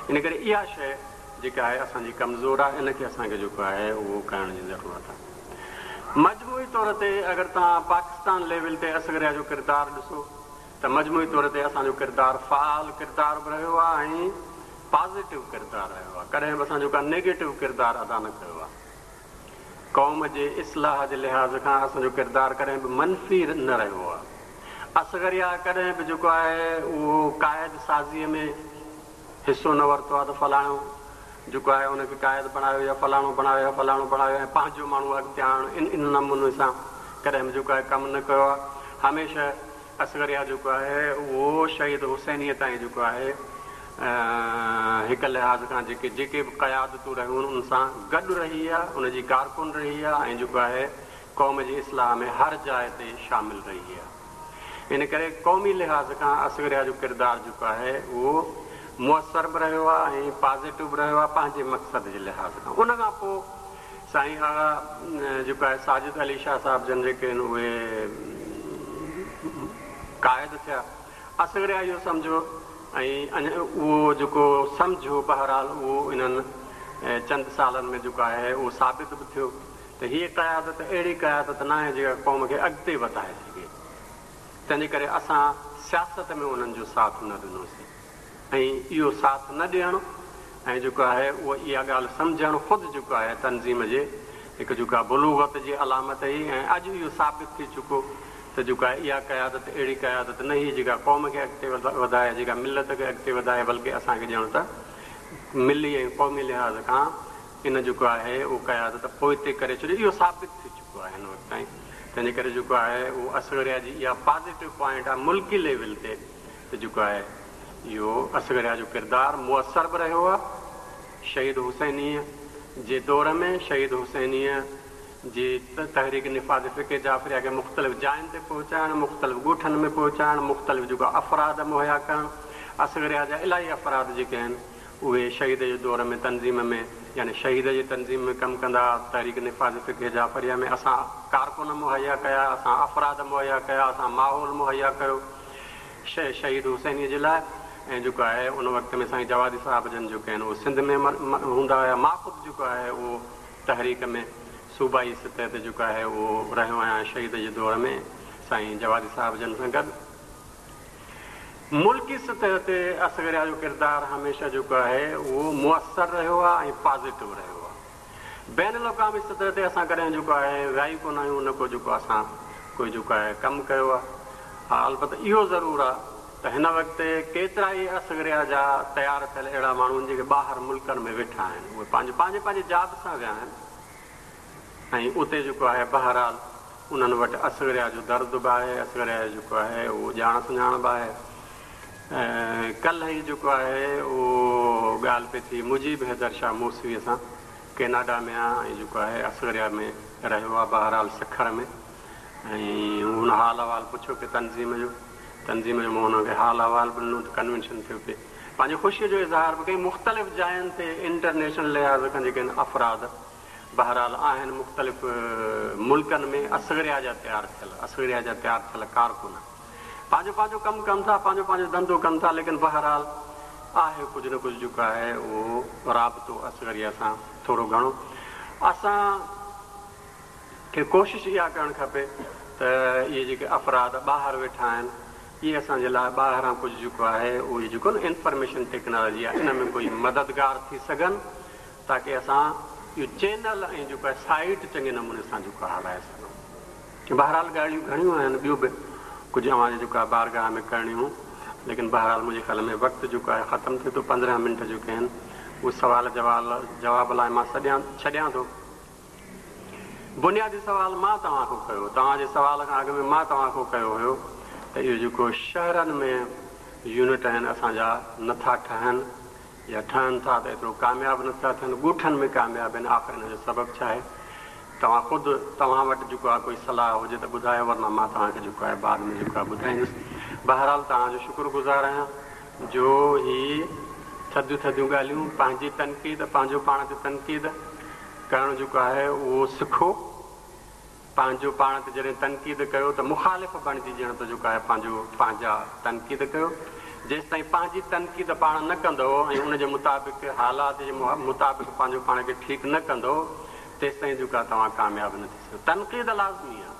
ان ڪري اها شيء جيڪا آهي اسان جي ڪمزور آهي ان کي اسان کي جيڪو آهي اهو ڪرڻ جي ضرورت آهي. مجموعي طور تي اگر توهان پاڪستان ليول تي اصغريه جو ڪردار ڏسو ته مجموعي طور تي اسان جو ڪردار فعال ڪردار به رهيو آهي ۽ پازيٽو ڪردار رهيو آهي ڪڏهن به اسان جو ڪا نيگيٽو ڪردار ادا نه ڪيو آهي. قوم جي اصلاح جي لحاظ کان اسان جو ڪردار ڪڏهن به منفي نه رهيو آهي. اصغريه ڪڏهن به جيڪو آهي اهو قائد سازيء ۾ حصو نه ورتو آهي ته فلاڻو جيڪو آهي ان کي قائد بڻايو يا فلاڻو بڻايو يا فلاڻو بڻايو ۽ پنهنجو ماڻهو اڳتي آڻڻ ان ان نموني سان ڪڏهن به جيڪو آهي ڪم نه ڪيو آهي. هميشه اصغريه جيڪو آهي اهو شهيد حسينيء تائين جيڪو آهي هڪ لحاظ کان جيڪي جيڪي به قيادتون رهيون ان سان گڏ رهي آ، ان جي ڪارڪن رهي آ ۽ جيڪو آهي قوم جي اصلاح ۾ هر جاء تي شامل رهي آ. ان ڪري قومي لحاظ کان اصغريه جو ڪردار جيڪو آهي اهو موثر به رهيو آ ۽ پازيٽو به رهيو آ پنهنجي مقصد جي لحاظ کان. ان کان پوء سائين آغا جيڪو آهي ساجد علي شاهه صاحب جن جيڪي آهن اهي قائد ٿيا. اصغريه اهو سمجهيو ۽ اهو جيڪو سمجهيو بهرحال اهو انهن چند سالن ۾ جيڪو آهي اهو ثابت به ٿيو ته هيء قيادت اهڙي قيادت ناهي جيڪا قوم کي اڳتي وڌائي سگهي. تنهنجي ڪري اسان سياست ۾ انهن جو ساٿ نه ڏنوسين ۽ اهو ساٿ نه ڏيڻ ۽ جيڪو آهي اهو اها ڳالهه سمجهڻ خود جيڪو آهي تنظيم جي هڪ جيڪو آهي بلوغت جي علامت هئي ۽ اڄ اهو ثابت ٿي چڪو ته جيڪو آهي اها قيادت اهڙي قيادت نه هئي جيڪا قوم کي اڳتي وڌائي، جيڪا ملت کي اڳتي وڌائي بلڪه اسان کي ڄڻ ته ملي ۽ قومي لحاظ کان ان جيڪو آهي اهو قيادت پوئتي ڪري ڇڏيو اهو ثابت ٿي چڪو آهي هن وقت تائين تنهنجي ڪري جيڪو آهي اهو اصغريه جي اها پازيٽو پوائنٽ آهي ملڪي ليول تي ته جيڪو آهي اهو اصغريه جو ڪردار موثر به رهيو آهي شهيد حسينيء جي دور ۾ شهيد حسينيء جي تحريڪ نفاذ فقه جعفريه کي مختلف جاين تي پهچائڻ، مختلف ڳوٺن ۾ پهچائڻ، مختلف جيڪو افراد مهيا ڪرڻ، اصغريه جا الاهي افراد جيڪي آهن اهي شهيد جي دور ۾ تنظيم ۾ يعني شهيد جي تنظيم ۾ ڪم ڪندا ها، تحريڪ نفاذ فقه جعفريه ۾ اسان ڪارڪن مهيا ڪيا، اسان افراد مهيا ڪيا، اسان ماحول مهيا ڪيو شهيد حسينيء جي لاء ۽ جيڪو آهي ان وقت ۾ سائين جوادي صاحب جن جيڪي آهن اهي سنڌ ۾ هوندا هيا، مان خود جيڪو آهي اهو تحريڪ ۾ صوبائي سطح تي جيڪو آهي اهو رهيو آهيان شهيد جي دور ۾ سائين جوادي صاحب جن سان گڏ. ملڪي سطح تي اصغريه جو ڪردار هميشه جيڪو آهي اهو موثر رهيو آهي ۽ پازيٽو رهيو آهي. بين الاقوامي سطح تي اسان ڪڏهن جيڪو آهي ويا ئي ڪونه آهيون نه ڪو جيڪو اسان ڪوئي جيڪو آهي ڪم ڪيو آهي. ها البته اهو ضرور آهي ته هن وقت ڪيترائي اصغريه جا تيار ٿيل اهڙا ماڻهو آهن جيڪي ٻاهر ملڪن ۾ ويٺا آهن اهي پنهنجو پنهنجي پنهنجي جاب سان ويا آهن ۽ اتي جيڪو آهي بهرحال انهن وٽ اصغريه جو درد به آهي اصغريه جو جيڪو آهي اهو ڄاڻ سڃاڻ به آهي ڪلهه ئي جيڪو آهي اهو ڳالهه پئي ٿي مجيب حيدر شاهه موسويء سان ڪيناڊا ۾ آهي ۽ جيڪو آهي اصغريه ۾ رهيو آهي بهرحال سکر ۾ ۽ هن حال احوال پڇيو پئي تنظيم جو تنظيم جو مون هن کي حال احوال به ڏنو ته ڪنوينشن ٿيو پئي پنهنجي خوشيء جو اظهار به ڪيائين مختلف جاين تي انٽرنيشنل لحاظ کان جيڪي آهن افراد بهرحال آهن مختلف ملڪن ۾ اصغريه جا تيار ٿيل اصغريه جا تيار ٿيل ڪارڪن پنهنجو پنهنجو ڪم ڪن ٿا پنهنجو پنهنجو ڌنڌو ڪن ٿا ليڪن بهرحال آهي ڪجهه نه ڪجهه جيڪو آهي اهو رابطو اصغريه سان ٿورو گهڻو اسان کي ڪوشش اها ڪرڻ کپي ته اهي جيڪي افراد ٻاهر ويٺا آهن اهي اسان جي لاء ٻاهران ڪجهه جيڪو آهي اهي جيڪو نه انفارميشن ٽيڪنالاجي آهي ان ۾ ڪوئي مددگار ٿي سگهن تاڪه اسان اهو چينل ۽ جيڪو آهي سائيٽ چڱي نموني سان جيڪو آهي هلائي سگهون. بهرحال ڳالهيون گهڻيون آهن ٻيو به ڪجهه اوهان جي جيڪو آهي بارگاهه ۾ ڪرڻيون ليڪن بهرحال منهنجي خيال ۾ وقت جيڪو آهي ختم ٿئي ٿو 15 منٽ جيڪي آهن اهي سوال جواب لاء مان سڏيان ڇڏيان ٿو. بنيادي سوال مان توهان کان ڪيو، توهان جي سوال کان اڳ ۾ مان توهان کان ڪيو هيو ته اهو جيڪو شهرن ۾ يونٽ آهن اسان جا نه ٿا ٺهن يا ٺهن ٿا ته ايترو ڪامياب نه ٿا ٿين، ڳوٺن ۾ ڪامياب آهن، آخر ان جو سبب ڇا آهي؟ توهان خود توهان وٽ جيڪو آهي ڪوئي صلاح هجي ته ٻڌايو ورنه مان توهان کي جيڪو آهي بعد ۾ جيڪو آهي ٻڌائيندس. بهرحال توهان جو شڪر گذار آهيان جو هي ٿڌيون ٿڌيون ڳالهيون پنهنجي تنقيد پنهنجو پاڻ تي تنقيد ڪرڻ جيڪو آهي اهو سکو. پنهنجو پاڻ تي جڏهن تنقيد ڪيو ته مخالف بڻجي ڄڻ ته جيڪو آهي پنهنجو پنهنجا تنقيد ڪيو. جيستائين پنهنجي تنقيد پاڻ نه ڪندؤ ۽ ان جي مطابق حالات جي مطابق پنهنجو پاڻ کي ٺيڪ نه ڪندؤ تيستائين جيڪو آهي توهان ڪامياب نه ٿي سگهندؤ. تنقيد لازمي آهي.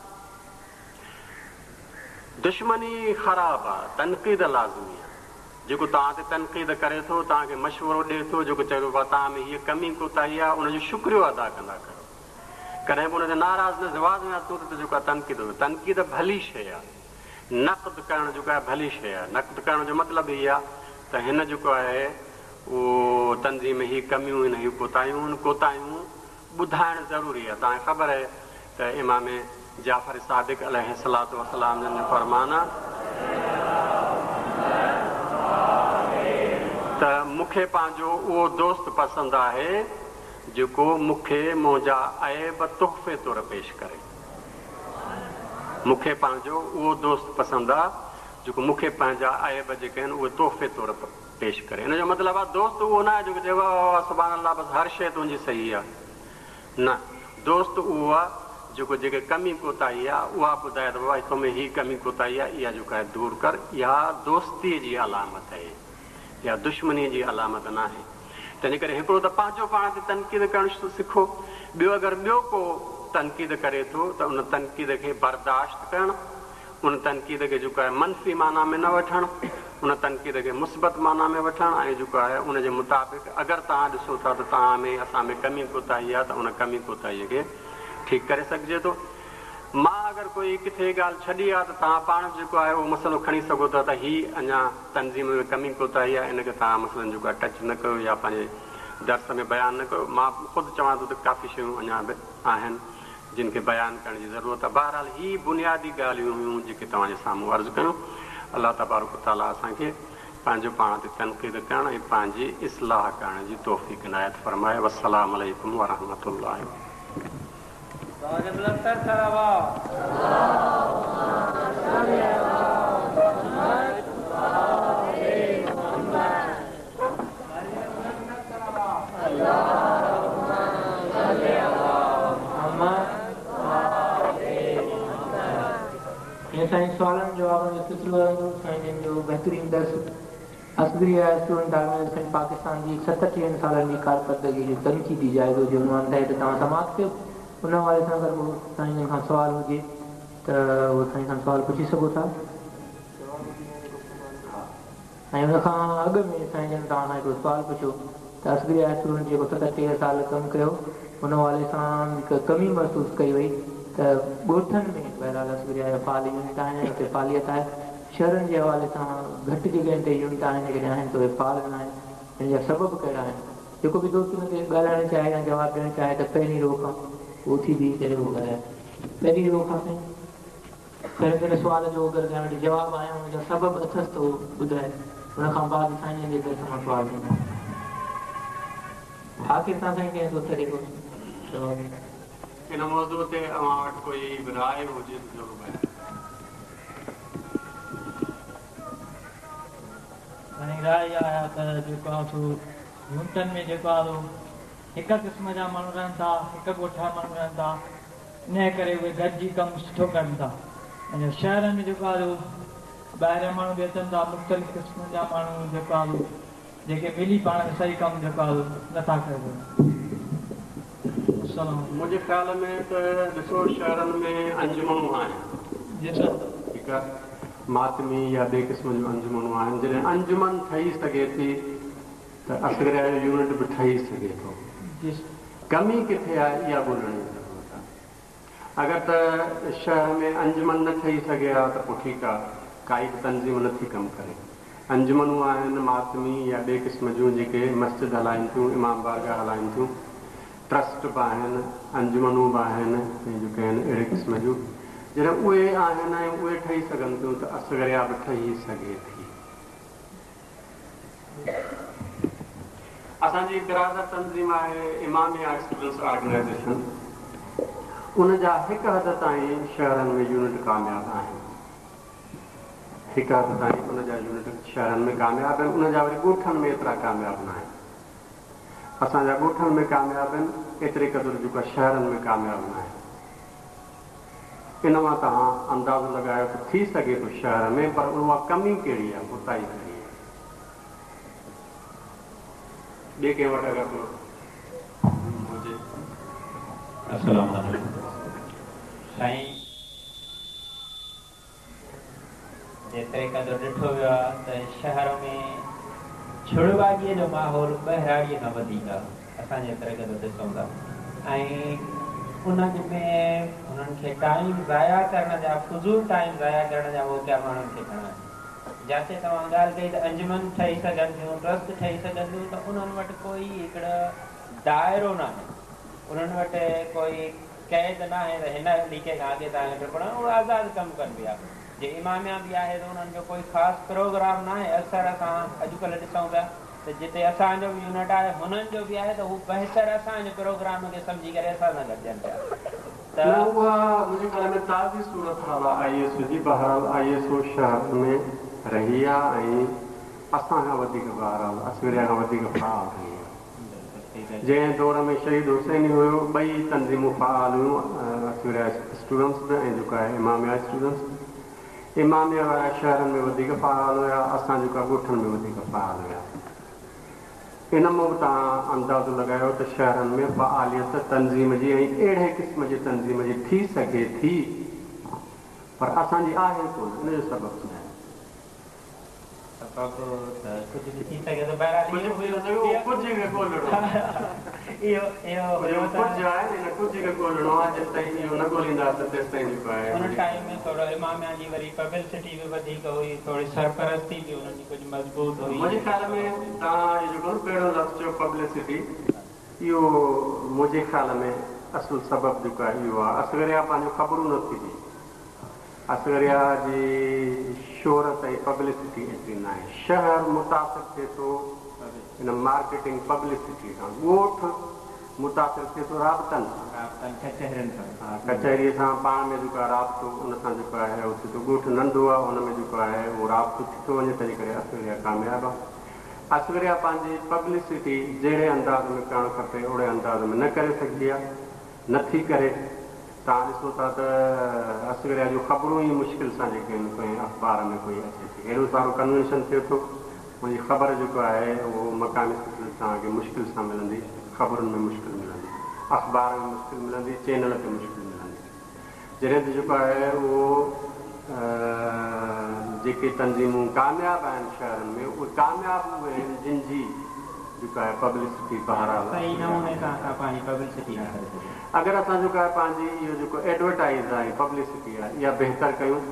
دشمني خراب آهي. تنقيد لازمي آهي. جيڪو توهان تي تنقيد ڪري ٿو، توهان کي مشورو ڏئي ٿو، جيڪو چئي ٿو بابا توهان ۾ هيء ڪمي ڪوتاهي آهي، ان جو شڪريو ادا ڪندا ڪريو. ڪڏهن به ان تي ناراض نه ٿيو. واز ۾ تون ته جيڪو آهي تنقيد ڪيو. تنقيد ڀلي شيء آهي. نقد ڪرڻ جيڪو آهي ڀلي شيء آهي. نقد ڪرڻ جو مطلب هي آهي ته هن جيڪو آهي اهو تنظيم ۾ هي ڪميون آهن، هي ڪوتاهيون آهن. ڪوتاهيون ٻڌائڻ ضروري آهي. توهان کي خبر آهي ته امام جعفر صادق عليه الصلوة والسلام جن جو فرمان آهي ته. مون کي پنهنجو اهو دوست پسند آهي جيڪو مون کي منهنجا عيب تحفي طور پيش ڪري. مون کي پنهنجو اهو دوست پسند آ جيڪو مون کي پنهنجا عيب جيڪي آهن اهي تحفي طور پيش ڪري. ان جو مطلب آ دوست اهو نه آهي جيڪو چئي واه واه سبحان الله بس هر شيء تنهنجي صحيح آ. نه دوست اهو آ جيڪو جيڪي ڪمي ڪوتاهي آ اها ٻڌائي ته بابا تو ۾ هي ڪمي ڪوتاهي آ اها جيڪا آهي دور ڪر. اها دوستيء جي علامت اهي. اها دشمنيء جي علامت ناهي. تنهنجي ڪري هڪڙو ته پنهنجو پاڻ تي تنقيد ڪرڻ سکو، ٻيو اگر ٻيو ڪو تنقيد ڪري ٿو ته ان تنقيد کي برداشت ڪرڻ، ان تنقيد کي جيڪو آهي منفي معنيٰ ۾ نه وٺڻ، ان تنقيد کي مثبت معنيٰ ۾ وٺڻ ۽ جيڪو آهي ان جي مطابق اگر توهان ڏسو ٿا ته توهان ۾ اسان ۾ ڪمي ڪوتاهي آهي ته ان ڪمي ڪوتاهيء کي ٺيڪ ڪري سگهجي ٿو. مان اگر ڪوئي ڪٿي ڳالهه ڇڏي آهي ته توهان پاڻ به جيڪو آهي اهو مسئلو کڻي سگهو ٿا ته هي اڃا تنظيم ۾ ڪمي ڪوتاهي آهي ان کي توهان مثلاً جيڪو آهي ٽچ نه ڪيو يا پنهنجي درس ۾ بيان نه ڪيو. مان خود چوان ٿو ته ڪافي شيون اڃا به آهن جن کي بيان ڪرڻ جي ضرورت آهي. بهرحال هي بنيادي ڳالهيون هيون جيڪي توهان جي سامهون عرض ڪيون. الله تبارڪ وتعاليٰ اسان کي پنهنجو پاڻ تي تنقيد ڪرڻ ۽ پنهنجي اصلاح ڪرڻ جي توفيق عنايت فرمائي. والسلام عليڪم ورحمة الله. آواز بلندتر صلوات. ائين سائين سوالن جوابن جو سلسلو رهندو سائين جن جو بهترين درس اصغريه اسٽوڊنٽ آرگنائيزيشن پاڪستان جي ستٽيهن سالن جي ڪارڪردگي جو تنقيدي جائزو جي عنوان تحت توهان سماعت ڪيو ان حوالي سان اگر ڪو سائين جن کان سوال هجي ته اهو سائين کان سوال پڇي سگهو ٿا ۽ ان کان اڳ ۾ سائين جن توهان کان هڪڙو سوال پڇيو ته اصغريه اسٽوڊنٽ جيڪو 37 سال ڪم ڪيو ان حوالي سان هڪ ڪمي محسوس ڪئي وئي ته ڳوٺن ۾ بهرحال اصغريه جا فعال يونٽ آهن ۽ اتي فعاليت آهي شهرن جي حوالي سان گهٽ جڳهين تي يونٽ آهن جيڪڏهن آهن ته اهي فعال نه آهن ان جا سبب ڪهڙا آهن جيڪو به دوست ان تي ڳالهائڻ چاهي يا جواب ڏيڻ چاهي ته پهرين رو کان اهو اٿي بيهي ڪري اهو ڳالهائي پهرين رو کان سائين پهرين ته ان سوال جو اگر ڪنهن وٽ جواب آهي ان جا سبب اٿس ته اهو ٻڌائي ان کان بعد سائين جن جي درس مان سوال ٿيندا آخر تان سائين ڪنهن دوست کي ڪو جواب. ان موضوع تي اوهان وٽ ڪوئي به راء هجي ته ضرور بيان ڪريو. سائين راء اها آهي ته جيڪو آهي سو يونٽن ۾ جيڪو آهي سو هڪ قسم جا ماڻهو رهن ٿا هڪ ڳوٺ جا ماڻهو رهن ٿا انهيء ڪري اهي گڏجي ڪم سٺو ڪن ٿا ۽ شهرن ۾ جيڪو آهي سو ٻاهريان ماڻهو به اچن ٿا مختلف قسمن جا ماڻهو جيڪو آهي سو جيڪي ملي پاڻ ۾ صحيح ڪم جيڪو آهي سو نٿا ڪري سگهن. السلام عليڪم. منهنجي خيال ۾ ته ڏسو شهرن ۾ انجمنون آهن. جي سر. ٺيڪ آهي ماتمي يا ٻئي قسم جون انجمنون آهن جڏهن انجمن ٺهي سگهي ٿي ته اصغريه جو يونٽ به ٺهي سگهي ٿو. جي سر. ڪمي ڪٿي آهي اها ڳولڻ جي ضرورت آهي. اگر ته شهر ۾ انجمن نه ٺهي سگهي ها ته پوء ٺيڪ آهي ڪائي به تنظيم نه ٿي ڪم ڪري. انجمنون آهن ماتمي يا ٻئي قسم جون جيڪي مسجد هلائين ٿيون، امام بارگاهه هلائين ٿيون، ٽرسٽ به آهن، انجمنون به آهن ۽ جيڪي آهن اهڙي قسم جون جڏهن اهي آهن ۽ اهي ٺهي سگهن ٿيون ته اصغريه به ٺهي سگهي ٿي. اسان جي برادر تنظيم آهي اماميه اسٽوڊنٽس آرگنائيزيشن ان جا هڪ حد تائين شهرن ۾ يونٽ ڪامياب آهن. هڪ حد تائين ان جا يونٽ شهرن ۾ ڪامياب آهن ان جا وري ڳوٺن ۾ ايترا ڪامياب ناهن. اسان جا ڳوٺن ۾ ڪامياب آهن ايتري قدر جيڪو آهي شهرن ۾ ڪامياب ناهن. ان مان توهان اندازو لڳايو ته ٿي سگهي ٿو شهر ۾ پر اها ڪمي ڪهڙي آهي ڪوتاهي ڪهڙي آهي. ٻئي ڪنهن وٽ اگر ڪو هجي. السلام عليڪم سائين جيتري قدر ڏٺو ويو آهي ته شهر ۾ ڇڙواڳيء جو ماحول ٻهراڙيء کان وڌيڪ آهي اسان جيتري قدر ڏسون ٿا ۽ انهن ۾ انهن کي ٽائيم ضايع ڪرڻ جا فضول ٽائيم ضايع ڪرڻ جا موقعا ماڻهن کي گهڻا آهن جاتي توهان ڳالهه ڪئي ته انجمن ٺهي سگهن ٿيون ٽرسٽ ٺهي سگهن ٿيون ته انهن وٽ ڪوئي هڪڙو دائرو ناهي انهن وٽ ڪوئي قيد ناهي ته هن ليڪي کان اڳي توهان کي ٽپڻو آهي، اهي آزاد ڪم ڪن پيا. جي اماميا به آهي ته انهن جو ڪوئي خاص پروگرام ناهي، اڪثر اسان اڄڪلهه ڏسون پيا ته جتي اسان جو به يونٽ آهي هنن جو به آهي ته هو بهتر اسان جي پروگرام کي سمجهي ڪري اسان سان گڏجن پيا ته. نه اها منهنجي خيال ۾ تازي صورت حال آهي I S O جي بهرحال I S O شهر ۾ رهي آهي ۽ اسان کان وڌيڪ بهرحال اصغريه کان وڌيڪ فعال رهي آهي جنهن دور ۾ شهيد حسيني هيو ٻئي تنظيمون فعال هيون اصغريه اسٽوڊنٽس به ۽ جيڪو آهي اماميه اسٽوڊنٽس به. اماميه وارا شهرن ۾ وڌيڪ فعال هيا، اسان جيڪا ڳوٺن ۾ وڌيڪ فعال هياسين. ان مان به توهان اندازو لڳايو ته شهرن ۾ فعاليت تنظيم جي ۽ اهڙي قسم جي تنظيم جي ٿي سگهي ٿي پر اسان جي آهي ڪونه، ان جو سبب ڇا آهي؟ سبب ته ڪجهه به ٿي سگهي ٿو بهرحال اهو هيو ڪجهه کي ڳولڻو اهو اهو هيو ته ڪجهه آهي نه ان ڪجهه کي ڳولڻو آهي جيستائين اهو نه ڳولينداسين تيستائين جيڪو آهي ان ٽائيم ۾ ٿورو اماميا جي وري پبلسٽي به وڌيڪ هئي ٿوري سرپرستي به انهن جي ڪجهه مضبوط هئي. منهنجي خيال ۾ توهان اهو جيڪو پهريون لفظ چيو پبلسٽي اهو منهنجي خيال ۾ اصل سبب جيڪو آهي اهو آهي اصغريا پنهنجون خبرون نه ٿي ڏئي. اصغريا جي شهرت ۽ پبلسٽي ايتري ناهي. شهر متاثر ٿئي ٿو ان مارڪيٽنگ پبلسٽي سان. ڳوٺ متاثر ٿئي ٿو رابطن سان. رابطن ڪچهرين سان. ها ڪچهريء سان پاڻ ۾ جيڪو آهي رابطو ان سان جيڪو آهي اهو ٿئي ٿو. ڳوٺ ننڍو آهي ان ۾ جيڪو آهي اهو رابطو ٿي ٿو وڃي تنهنجي ڪري اصغريا ڪامياب آهي. اصغريا پنهنجي پبلسٽي جهڙي انداز ۾ ڪرڻ کپي اوڙي انداز ۾ نه ڪري سگهي آهي. نه ٿي ڪري. توهان ڏسو ٿا ته اصغريا جون خبرون ئي مشڪل سان جيڪي آهن ڪنهن اخبار ۾ ڪوئي اچي ٿي. هيڏو سارو ڪنوينشن ٿئي ٿو ان جي خبر جيڪو آهي اهو مقامي سطح تي توهان کي مشڪل سان ملندي، خبرن ۾ مشڪل ملندي، اخبار ۾ مشڪل ملندي، چينل تي مشڪل ملندي. جڏهن ته جيڪو آهي اهو جيڪي تنظيمون ڪامياب آهن شهرن ۾ اهي ڪامياب اهي آهن جن جي جيڪو آهي پبلسٽي بهرحال صحيح نموني سان اسان پنهنجي پبلسٽي نه ڪري سگهيا. اگر اسان جيڪو آهي پنهنجي اهو جيڪو ايڊورٽائيز آهي ۽ پبلسٽي آهي اها بهتر ڪيون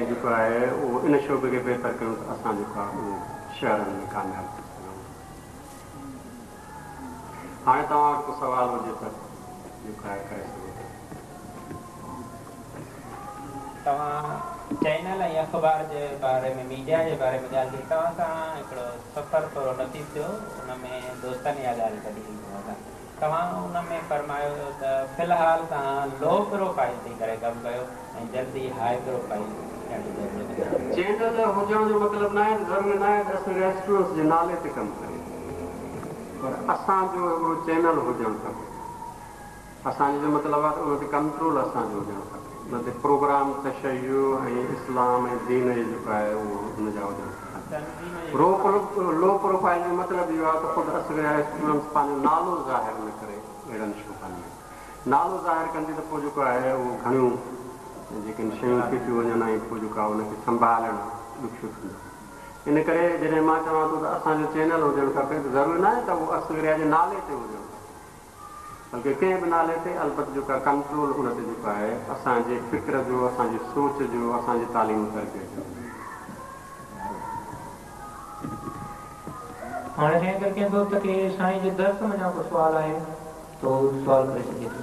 ۽ جيڪو آهي اهو ان شعبي کي بهتر ڪيون ته اسان جيڪو آهي اهو شهرن ۾ ڪامياب ٿي سگهون ٿا. هاڻي توهان وٽ ڪو سوال هجي ته جيڪو آهي ڪري سگهو ٿا. توهان چينل ۽ اخبار جي باري ۾ ميڊيا جي باري ۾ ڳالهه ڪئي توهان سان هڪڙو سفر ٿورو نصيب ٿيو ان ۾ دوستن اها ڳالهه ڪڍي هئي توهان سان توهان ان ۾ فرمايو هيو ته في الحال توهان لو پروفائيل ٿي ڪري ڪم ڪيو ۽ جلدي هاء پروفائيل ٿيڻ جي ضرورت آهي. چينل هجڻ جو مطلب ناهي ته ضروري ناهي ته اسين ريسٽورنٽس جي نالي تي ڪم ڪريون پر اسان جو هڪڙو چينل هجڻ کپي. اسان جو جو مطلب آهي ته ان تي ڪنٽرول اسان جو هجڻ کپي. ان تي پروگرام تشيع ۽ اسلام ۽ دين جي جيڪو آهي اهو ان جا هجڻ کپن. لو پروفائيل جو مطلب اهو آهي ته خود اصغريا اسٽوڊنٽس پنهنجو نالو ظاهر نه ڪري اهڙن شعبن ۾ نالو ظاهر ڪندي ته پوء جيڪو آهي اهو گهڻيون جيڪي شيون ٿي ٿيون وڃن ۽ پوء جيڪو آهي ان کي سنڀالڻ ڏکيو ٿيندو. ان ڪري جڏهن مان چوان ٿو ته اسان جو چينل هجڻ کپي ته ضروري ناهي ته اهو اصغريا جي نالي تي هجڻ کپي. بلڪه ڪنهن به نالي تي البت جيڪو ڪنٽرول ان تي جيڪو آهي اسان جي فڪر جو اسان جي سوچ جو اسان جي تعليم و تربيت جو هجي. هاڻي سائين اگر ڪنهن دوست کي سائين جي درس منجهان ڪو سوال آهي ته هو سوال ڪري سگهي ٿو.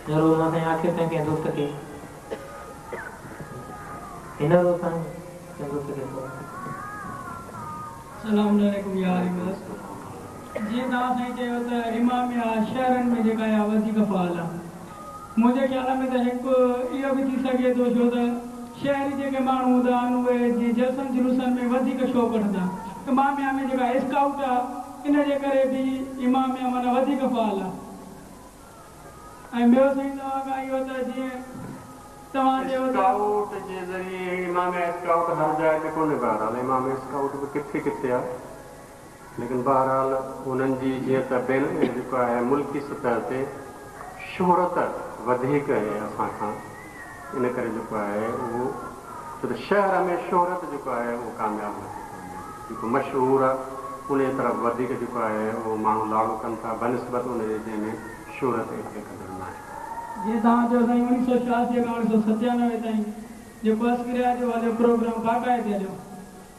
ضرور مان سائين آخر تائين ڪنهن دوست کي هن روز سائين ڪنهن دوست کي سوال. السلام عليڪم يا عالم. جيئن توهان سائين چيو ته اماميه شهرن ۾ جيڪا آهي وڌيڪ فعال آهي. منهنجي خيال ۾ ته هڪ اهو به ٿي سگهي ٿو ڇو ته شهري جيڪي ماڻهو هوندا آهن اهي جيئن جلسن جلوسن ۾ وڌيڪ شوق وٺندا. اماميه ۾ جيڪا اسڪائوٽ آهي ان جي ڪري به اماميه معنيٰ وڌيڪ فعال آهي. ۽ ٻيو سائين توهان کان اهو ته جيئن توهان چيو ته. اسڪائوٽ جي ذريعي اماميه اسڪائوٽ هر جاء تي ڪونهي بهرحال اماميه اسڪائوٽ به ڪٿي ڪٿي آهي. ليڪن بهرحال انهن جي جيئن ته بين جيڪو آهي ملڪي سطح تي شهرت وڌيڪ آهي اسان کان ان ڪري جيڪو آهي اهو ڇو ته شهر ۾ شهرت جيڪو آهي اهو ڪامياب نٿي ڪري جيڪو مشهور آهي ان جي طرف وڌيڪ جيڪو آهي اهو ماڻهو لاڙو ڪن ٿا بنسبت ان جي جنهن ۾ شهرت ايتري قدر ناهي. جيئن توهان چيو سائين اوڻيهه سؤ ڇهاسي کان اوڻيهه سؤ ستيانوي تائين جيڪو اصغريا جو هليو پروگرام باقاعدي هليو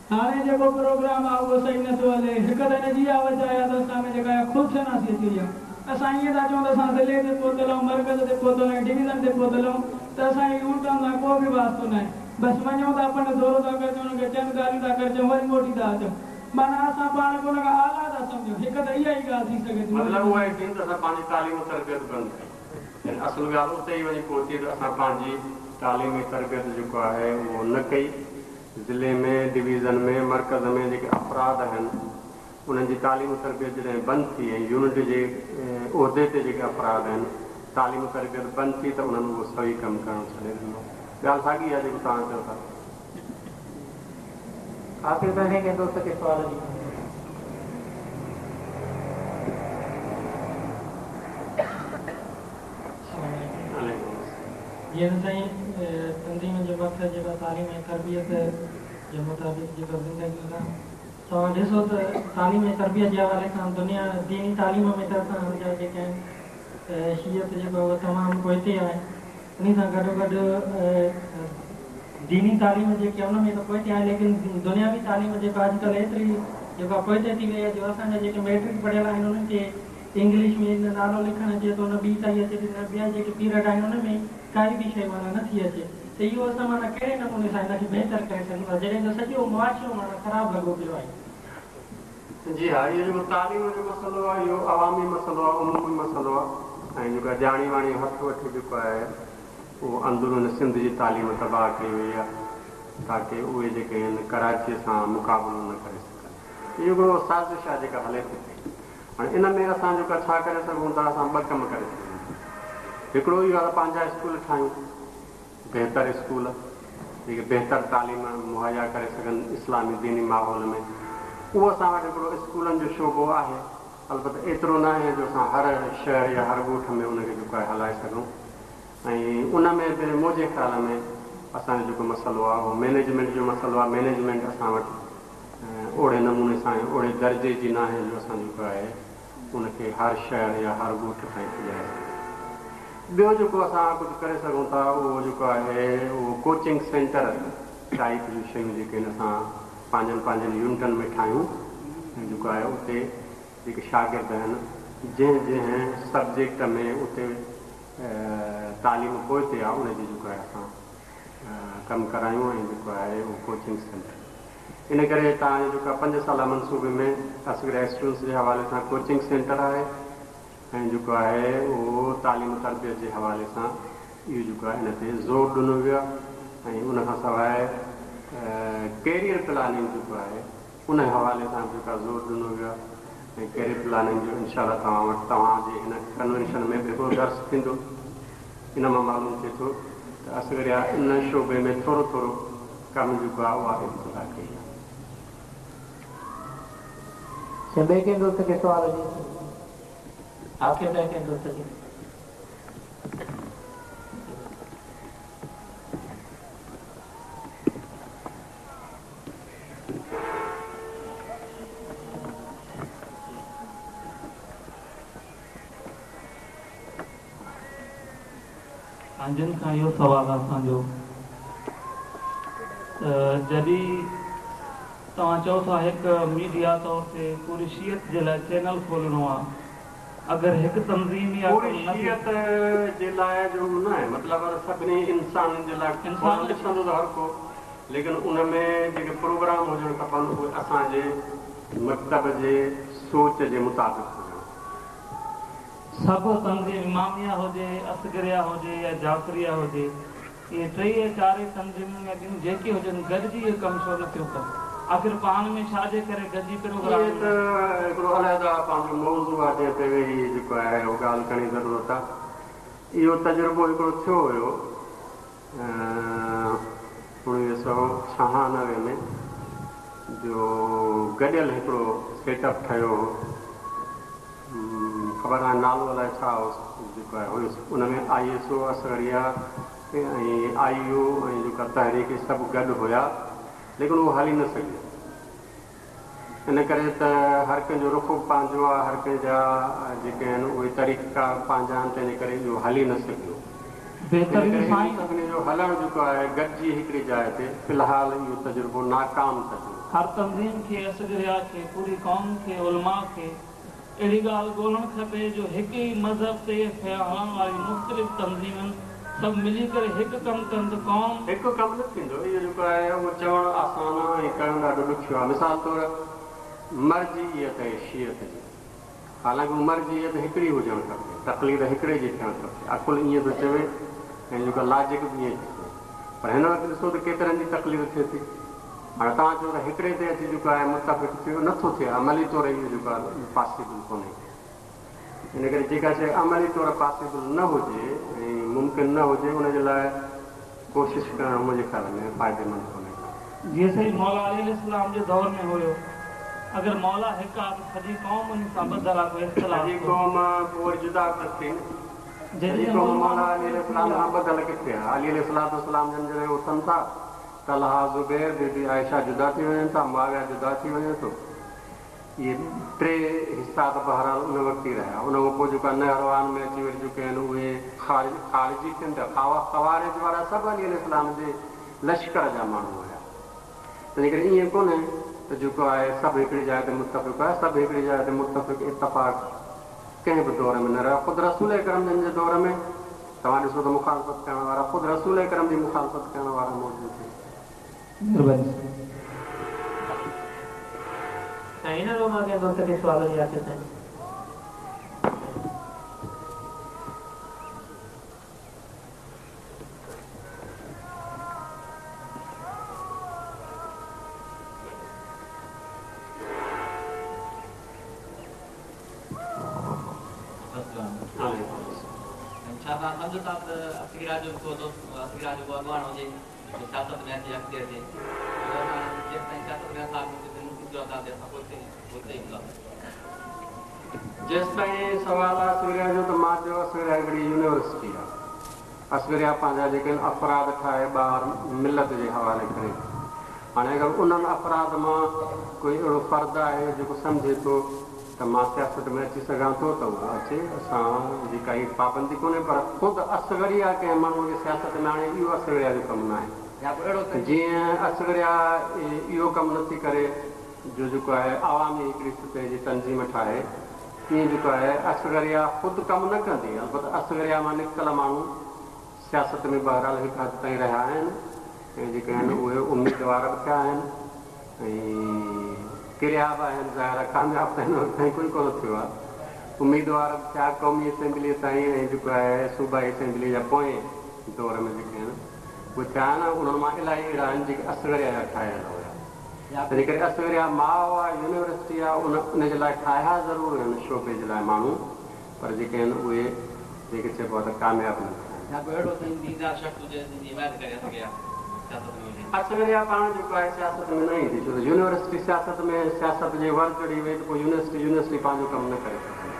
هاڻي جيڪو پروگرام آ اهو صحيح نه ٿو هلي. هڪ ته ان جي اها وجه آهي ته اسان ۾ جيڪا اها خود شناسي اچي وئي آ. اسان ائين ٿا چئون ته اسان ضلعي تي پهتل آهيون، مرڪز تي پهتل آهيون، ڊويزن تي پهتل آهيون ته اسان کي يونٽن سان ڪو به واسطو ناهي. بس وڃون ٿا پنهنجو دورو ٿا ڪري اچون، انهن کي چند ڳالهيون ٿا ڪري اچون وري موٽي ٿا اچون. معنيٰ اسان پاڻ کي ان کان اعليٰ ٿا سمجهون. هڪ ته اها ئي ڳالهه ٿي سگهي ٿي. مطلب اهو آهي ته اسان پنهنجي تعليم و تربيت بند ڪئي. يعني اصل ڳالهه اتي ئي وڃي پهتي ته اسان پنهنجي تعليم ۽ تربيت جيڪو آهي اهو نه ڪئي. ضلعي ۾، ڊويزن ۾، مرڪز ۾ جيڪي افراد آهن انهن جي تعليم و تربيت جڏهن بند ٿي ۽ يونٽ جي عهدي تي جيڪي افراد آهن تعليم و تربيت بند ٿي ته انهن اهو صحيح ڪم ڪرڻ ڇڏي ڏنو. ڳالهه ساڳي آهي جيڪو توهان چئو ٿا. آخر ڪنهن ڪنهن دوست کي سوال جي. جيئن ته سائين تنظيم جو مقصد جيڪو تعليم ۽ تربيت جي مطابق جيڪا زندگي گذارڻ توهان ڏسو ته تعليم ۽ تربيت جي حوالي سان دنيا ديني تعليم ۾ ته اسان جا جيڪي آهن شيعت جيڪو آهي اهو تمام پوئتي آهي انهي سان گڏوگڏ ديني تعليم جيڪي آهي ان ۾ ته پوئتي آهي ليڪن دنياوي تعليم جيڪا اڄڪلهه ايتري جيڪا پوئتي ٿي وئي آهي جو اسان جا جيڪي ميٽرڪ پڙهيل آهن انهن کي انگلش ۾ نه نالو لکڻ اچي ٿو نه ٻي ڪائي اچي ٿي نه ٻيا جيڪي پيرڊ آهن ان ۾ ڪائي به شيء معنيٰ نه ٿي اچي ته اهو اسان معنيٰ ڪهڙي نموني سان هن کي بهتر ڪري سگهون ٿا جڏهن ته سڄو معاشرو معنيٰ خراب لڳو پيو آهي. جي ها اهو جيڪو تعليم جو مسئلو آهي اهو عوامي مسئلو آهي عمومي مسئلو آهي ۽ جيڪو آهي ڄاڻي واڻي هٿ وٺي جيڪو آهي اهو اندرون سنڌ جي تعليم تباهه ڪئي وئي آهي تاڪه اهي جيڪي آهن ڪراچيء سان مقابلو نه ڪري سگهن اهو هڪڙو سازش آهي جيڪا هلي ٿي پئي هاڻي ان ۾ اسان جيڪو ڇا ڪري سگهون ٿا اسان ٻه ڪم ڪري سگهون ٿا هڪڙو اهو آهي ته پنهنجا اسڪول ٺاهيون بهتر اسڪول جيڪي بهتر تعليم مهيا ڪري سگهن اسلامي ديني ماحول ۾ اهو اسان وٽ هڪڙو اسڪولن جو شعبو آهي البته ايترو ناهي جو اسان هر شهر يا هر ڳوٺ ۾ ان کي جيڪو آهي هلائي سگهون ۽ ان ۾ به منهنجي خيال ۾ اسان جو جيڪو مسئلو آهي اهو مئنيجمينٽ جو مسئلو آهي مئنيجمينٽ اسان وٽ اوڙي نموني سان ۽ اوڙي درجي جي ناهي جو اسان جيڪو آهي ان کي هر شهر يا هر ڳوٺ تائين پڄائي سگهون. ٻيو جيڪو اسان ڪجهه ڪري سگهون ٿا اهو جيڪو آهي اهو ڪوچنگ سينٽر ٽائيپ جون شيون جيڪي آهن اسان پنهنجن پنهنجن يونٽن ۾ ٺاهيون ۽ جيڪو آهي اتي جيڪي شاگرد آهن جنهن جنهن سبجيڪٽ ۾ اتي تعليم پوئتي آهي ان جي جيڪو آهي اسان ڪم ڪرايون ۽ جيڪو آهي اهو ڪوچنگ سينٽر ان ڪري توهان جو جيڪو پنج سالا منصوبي ۾ اصغريه اسٽوڊنٽس جي حوالي سان ڪوچنگ سينٽر آهي ۽ جيڪو آهي اهو تعليم و تربيت جي حوالي سان اهو جيڪو آهي ان تي زور ڏنو ويو آهي ۽ ان کان سواء ڪيريئر پلاننگ جيڪو آهي ان حوالي سان به جيڪو آهي زور ڏنو ويو آهي ۽ ڪيريئر پلاننگ جو انشاء الله توهان وٽ توهان جي هن ڪنوينشن ۾ به هڪڙو درس ٿيندو ان مان معلوم ٿئي ٿو ته اصغريه ان شعبي ۾ ٿورو ٿورو ڪم جيڪو آهي اها ابتدا ڪئي آهي. سائين ٻئي ڪنهن دوست کي سوال هجي آخر ٻئي ڪنهن دوست کي. سائين جن کان اهو سوال آهي اسان جو ته جڏهن توهان چئو ٿا هڪ ميڊيا طور تي پوري شيعت جي لاء چينل کولڻو آهي اگر هڪ تنظيم اها پوري شيعت جي لاء جو نه آهي مطلب سڀني انسانن جي لاء کولڻ ڏسندو ته هر ڪو ليڪن ان ۾ جيڪي پروگرام هجڻ کپن اهي اسان جي مڪتب جي سوچ جي مطابق هجڻ. سڀ تنظيم اماميه هجي، اصغريه هجي يا جعفريه هجي، اهي ٽئي يا چارئي تنظيمون يا ٻيون جيڪي هجن گڏجي اهو ڪم ڇو نه ٿيون ڪن؟ آخر پاڻ ۾ ڇا جي ڪري گڏجي پروگرام اهي ته هڪڙو علحده پنهنجو موضوع آهي جنهن تي ويهي جيڪو آهي اهو ڳالهه ڪرڻ جي ضرورت آهي. اهو تجربو هڪڙو ٿيو هيو 1996 ۾ جو گڏيل هڪڙو سيٽ اپ ٺهيو هو. خبر ناهي نالو الائي ڇا هوس جيڪو آهي هيس ان ۾ I S O Asgharia ۽ I U ۽ جيڪا تحريڪ سڀ گڏ هيا ليڪن اهو هلي نه سگهيو ان ڪري ته هر ڪنهن جو رخ به پنهنجو آهي هر ڪنهن جا جيڪي آهن اهي طريقا پنهنجا آهن تنهن جي ڪري اهو هلي نه سگهيو ان بهترين ڪري سائين. سڀني جو هلڻ جيڪو آهي گڏجي هڪڙي جاء تي في الحال اهو تجربو ناڪام تجربو. هر تنظيم کي اصغريا کي پوري قوم کي علماء کي اهڙي ڳالهه ڳولڻ کپي جو هڪ ئي مذهب تي هلڻ واريون مختلف تنظيمن سڀ ملي ڪري هڪ ڪم ڪن ته قوم. هڪ ڪم نه ٿيندو. اهو جيڪو آهي اهو چوڻ آسان آهي ۽ ڪرڻ ڏاڍو ڏکيو آهي. مثال طور مرجعيت ۽ شيعت جي. حالانڪ مرجعيت هڪڙي هجڻ کپي، تقليد هڪڙي جي ٿيڻ کپي. عقل ائين ٿو چوي ۽ جيڪا لاجڪ به ائين ٿي چوي. پر هن وقت ڏسو ته ڪيترن جي تقليد ٿئي ٿي. هاڻي توهان چئو ته هڪڙي تي اچي جيڪو آهي متفق ٿيو، نه ٿو ٿئي. عملي طور اهو جيڪو آهي پاسيبل ڪونهي. ان ڪري جيڪا شيء عملي طور پاسيبل نه هجي ۽ ممڪن نه هجي ان جي لاء ڪوشش ڪرڻ منهنجي خيال ۾ فائديمند ڪونهي ڪو. جيئن سائين مولا علي عليه السلام جي دور ۾ هيو اگر مولا هڪ آ ته سڄي قوم ان سان ٻڌل آ ڪو اختلاف سڄي قوم پوء وري جدا ته ٿي نه. سڄي قوم مولا علي عليه السلام سان ٻڌل ڪٿي آ؟ علي عليه الصلوة والسلام جن جڏهن اٿن ٿا، طلحه، زبير، بي بي عائشه جدا ٿي وڃن ٿا، معاويه جدا ٿي وڃي ٿو. اهي ٽي حصا ته بهرحال ان وقت ئي رهيا. ان کان پوء جيڪا نهروان ۾ اچي وري چڪيا آهن اهي خارجي ٿين ٿا. خوارج وارا سڀ علي عليه السلام جي لشڪر جا ماڻهو هيا. تنهن ڪري ائين ڪونهي ته جيڪو آهي سڀ هڪڙي جاء تي متفق آهي. سڀ هڪڙي جاء تي متفق اتفاق ڪنهن به دور ۾ نه رهيو. خود رسول اڪرم جن جي دور ۾ توهان ڏسو ته مخالفت ڪرڻ وارا خود رسول اڪرم جي مخالفت ڪرڻ وارا موجود آهن. مھرباني سائين. هن مان ڪنهن دوست کي سوال هجي آصف سائين. ڇا توهان سمجهو ٿا ته اصغرا جو ڪو دوست اصغرا جو ڪو اڳواڻ هجي جو سياست ۾ اچي اڳتي اچي ڇو ته اسان جيستائين سياست ۾ نٿا اچون تيستائين ملڪي صورتحال تي اسان پوئتي پوئتي ئي هونداسين. جيستائين سوال آ اصغريا جو ته مان چيو اصغريا هڪڙي يونيورسٽي آ. اصغريا پنهنجا جيڪي آهن افراد ٺاهي ٻاهر ملت جي حوالي ڪري ٿي. هاڻي اگر انهن افراد مان ڪوئي اهڙو فرد آهي جيڪو سمجهي ٿو ته مان سياست ۾ اچي سگهان ٿو ته اهو اچي، اسان جي ڪائي پابندي ڪونهي پر خود اصغريا ڪنهن ماڻهوء کي سياست ۾ آڻي اهو اصغريا جو ڪم ناهي. جيئن اصغريا اهو ڪم نٿي ڪري جو جيڪو آهي عوامي هڪڙي سطح جي تنظيم ٺاهي تيئن جيڪو آهي اصغريا خود ڪم نه ڪندي البته اصغريا مان نڪتل ماڻهو سياست ۾ بهرحال هڪ حد تائين رهيا آهن ۽ جيڪي آهن اهي اميدوار به ٿيا آهن ۽ ڪريا به آهن ظاهر آهي ڪامياب ته هن وقت تائين ڪوئي ڪونه ٿيو آهي اميدوار به ٿيا قومي اسيمبليء تائين ۽ جيڪو آهي صوبائي اسيمبليء جا پوئين دور ۾ جيڪي آهن اهي ٿيا آهن انهن مان الاهي اهڙا آهن جيڪي اصغريا جا ٺاهيل هيا تنهن ڪري اصغريا ماء آ يونيورسٽي آ ان ان جي لاء ٺاهيا ضرور آهن شعبي جي لاء ماڻهو پر جيڪي آهن اهي جنهن کي چئبو آ ته ڪامياب نه ٿيا آهن. يا ڪو اهڙو سائين ديندار شخص هجي جنهن جي حمايت ڪري اصغريا سياست ۾ هجي. اصغريا پاڻ جيڪو آهي سياست ۾ نه ايندي ڇو ته يونيورسٽي سياست ۾ سياست جي ور چڙهي وئي ته پوء يونيورسٽي يونيورسٽي پنهنجو ڪم نه ڪري سگهندي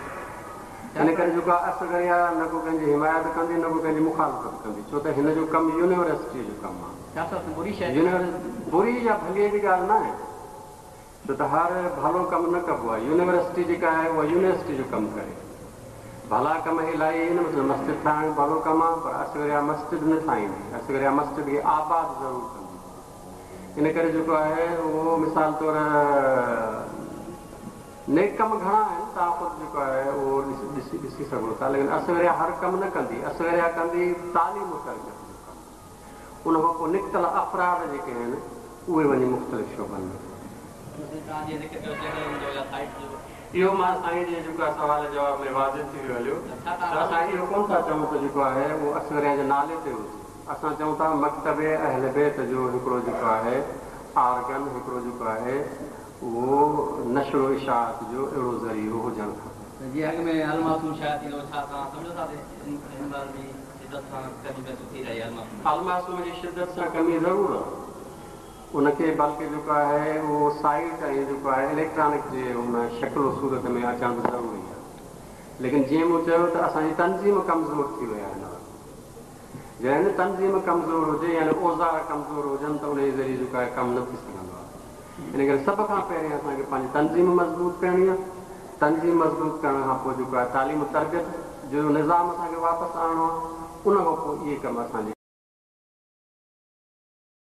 ان ڪري جيڪو آهي اصغريا نه ڪو ڪنهن جي حمايت ڪندي نه ڪو ڪنهن جي مخالفت ڪندي ڇو ته هن جو ڪم يونيورسٽيء جو ڪم آهي. سياست بري شيء ناهي. بري يا ڀليء جي ڳالهه ناهي ڇو ته هر ڀلو ڪم نه ڪبو آهي. يونيورسٽي جيڪا آهي اها يونيورسٽي جو ڪم ڪري. ڀلا ڪم الاهي آهن مثلاً مسجد ٺاهڻ ڀلو ڪم آهي پر اصغريا مسجد نه ٺاهيندي. اصغريا مسجد کي آباد ضرور ڪندي. ان ڪري جيڪو آهي اهو مثال طور نيڪ ڪم گهڻا آهن توهان خود جيڪو آهي اهو ڏسي ڏسي سگهو ٿا ليڪن اصغريا هر ڪم نه ڪندي. اصغريا ڪندي تعليم و تربيت جو ڪم. ان کان پوء نڪتل افراد جيڪي آهن اهي وڃي مختلف شعبن ۾. اهو مان سائين جي جيڪو آهي سوال جواب ۾ واضح ٿي ويو هليو ته اسان اهو ڪونه ٿا چئون ته جيڪو آهي اهو اصغريا جي نالي تي هجي اسان چئون ٿا مڪتب اهل بيت جو هڪڙو جيڪو آهي آرگن هڪڙو جيڪو آهي اهو نشر و اشاعت جو اهڙو ذريعو هجڻ کپي. جيئن اڳ ۾ المعصوم شايع ٿيندو هو ڇا توهان سمجهو ٿا ته هن مهل به شدت سان ڪمي محسوس ٿي رهي آهي المعصوم. المعصوم جي شدت سان ڪمي ضرور آهي ان کي بلڪه جيڪو آهي اهو سائيٽ ۽ جيڪو آهي اليڪٽرانڪ جي ان شڪل و صورت ۾ اچڻ به ضروري آهي ليڪن جيئن مون چيو ته اسان جي تنظيم ڪمزور ٿي وئي آهي هن وقت جڏهن تنظيم ڪمزور هجي يعني اوزار ڪمزور هجن ته ان جي ذريعي جيڪو آهي ڪم نه ٿي سگهندو آهي ان ڪري سڀ کان پهرين اسان کي پنهنجي تنظيم مضبوط ڪرڻي آهي. تنظيم مضبوط ڪرڻ کان پوء جيڪو آهي تعليم و تربيت جو نظام اسان کي واپس آڻڻو آهي. ان کان پوء اهي ڪم اسان جي.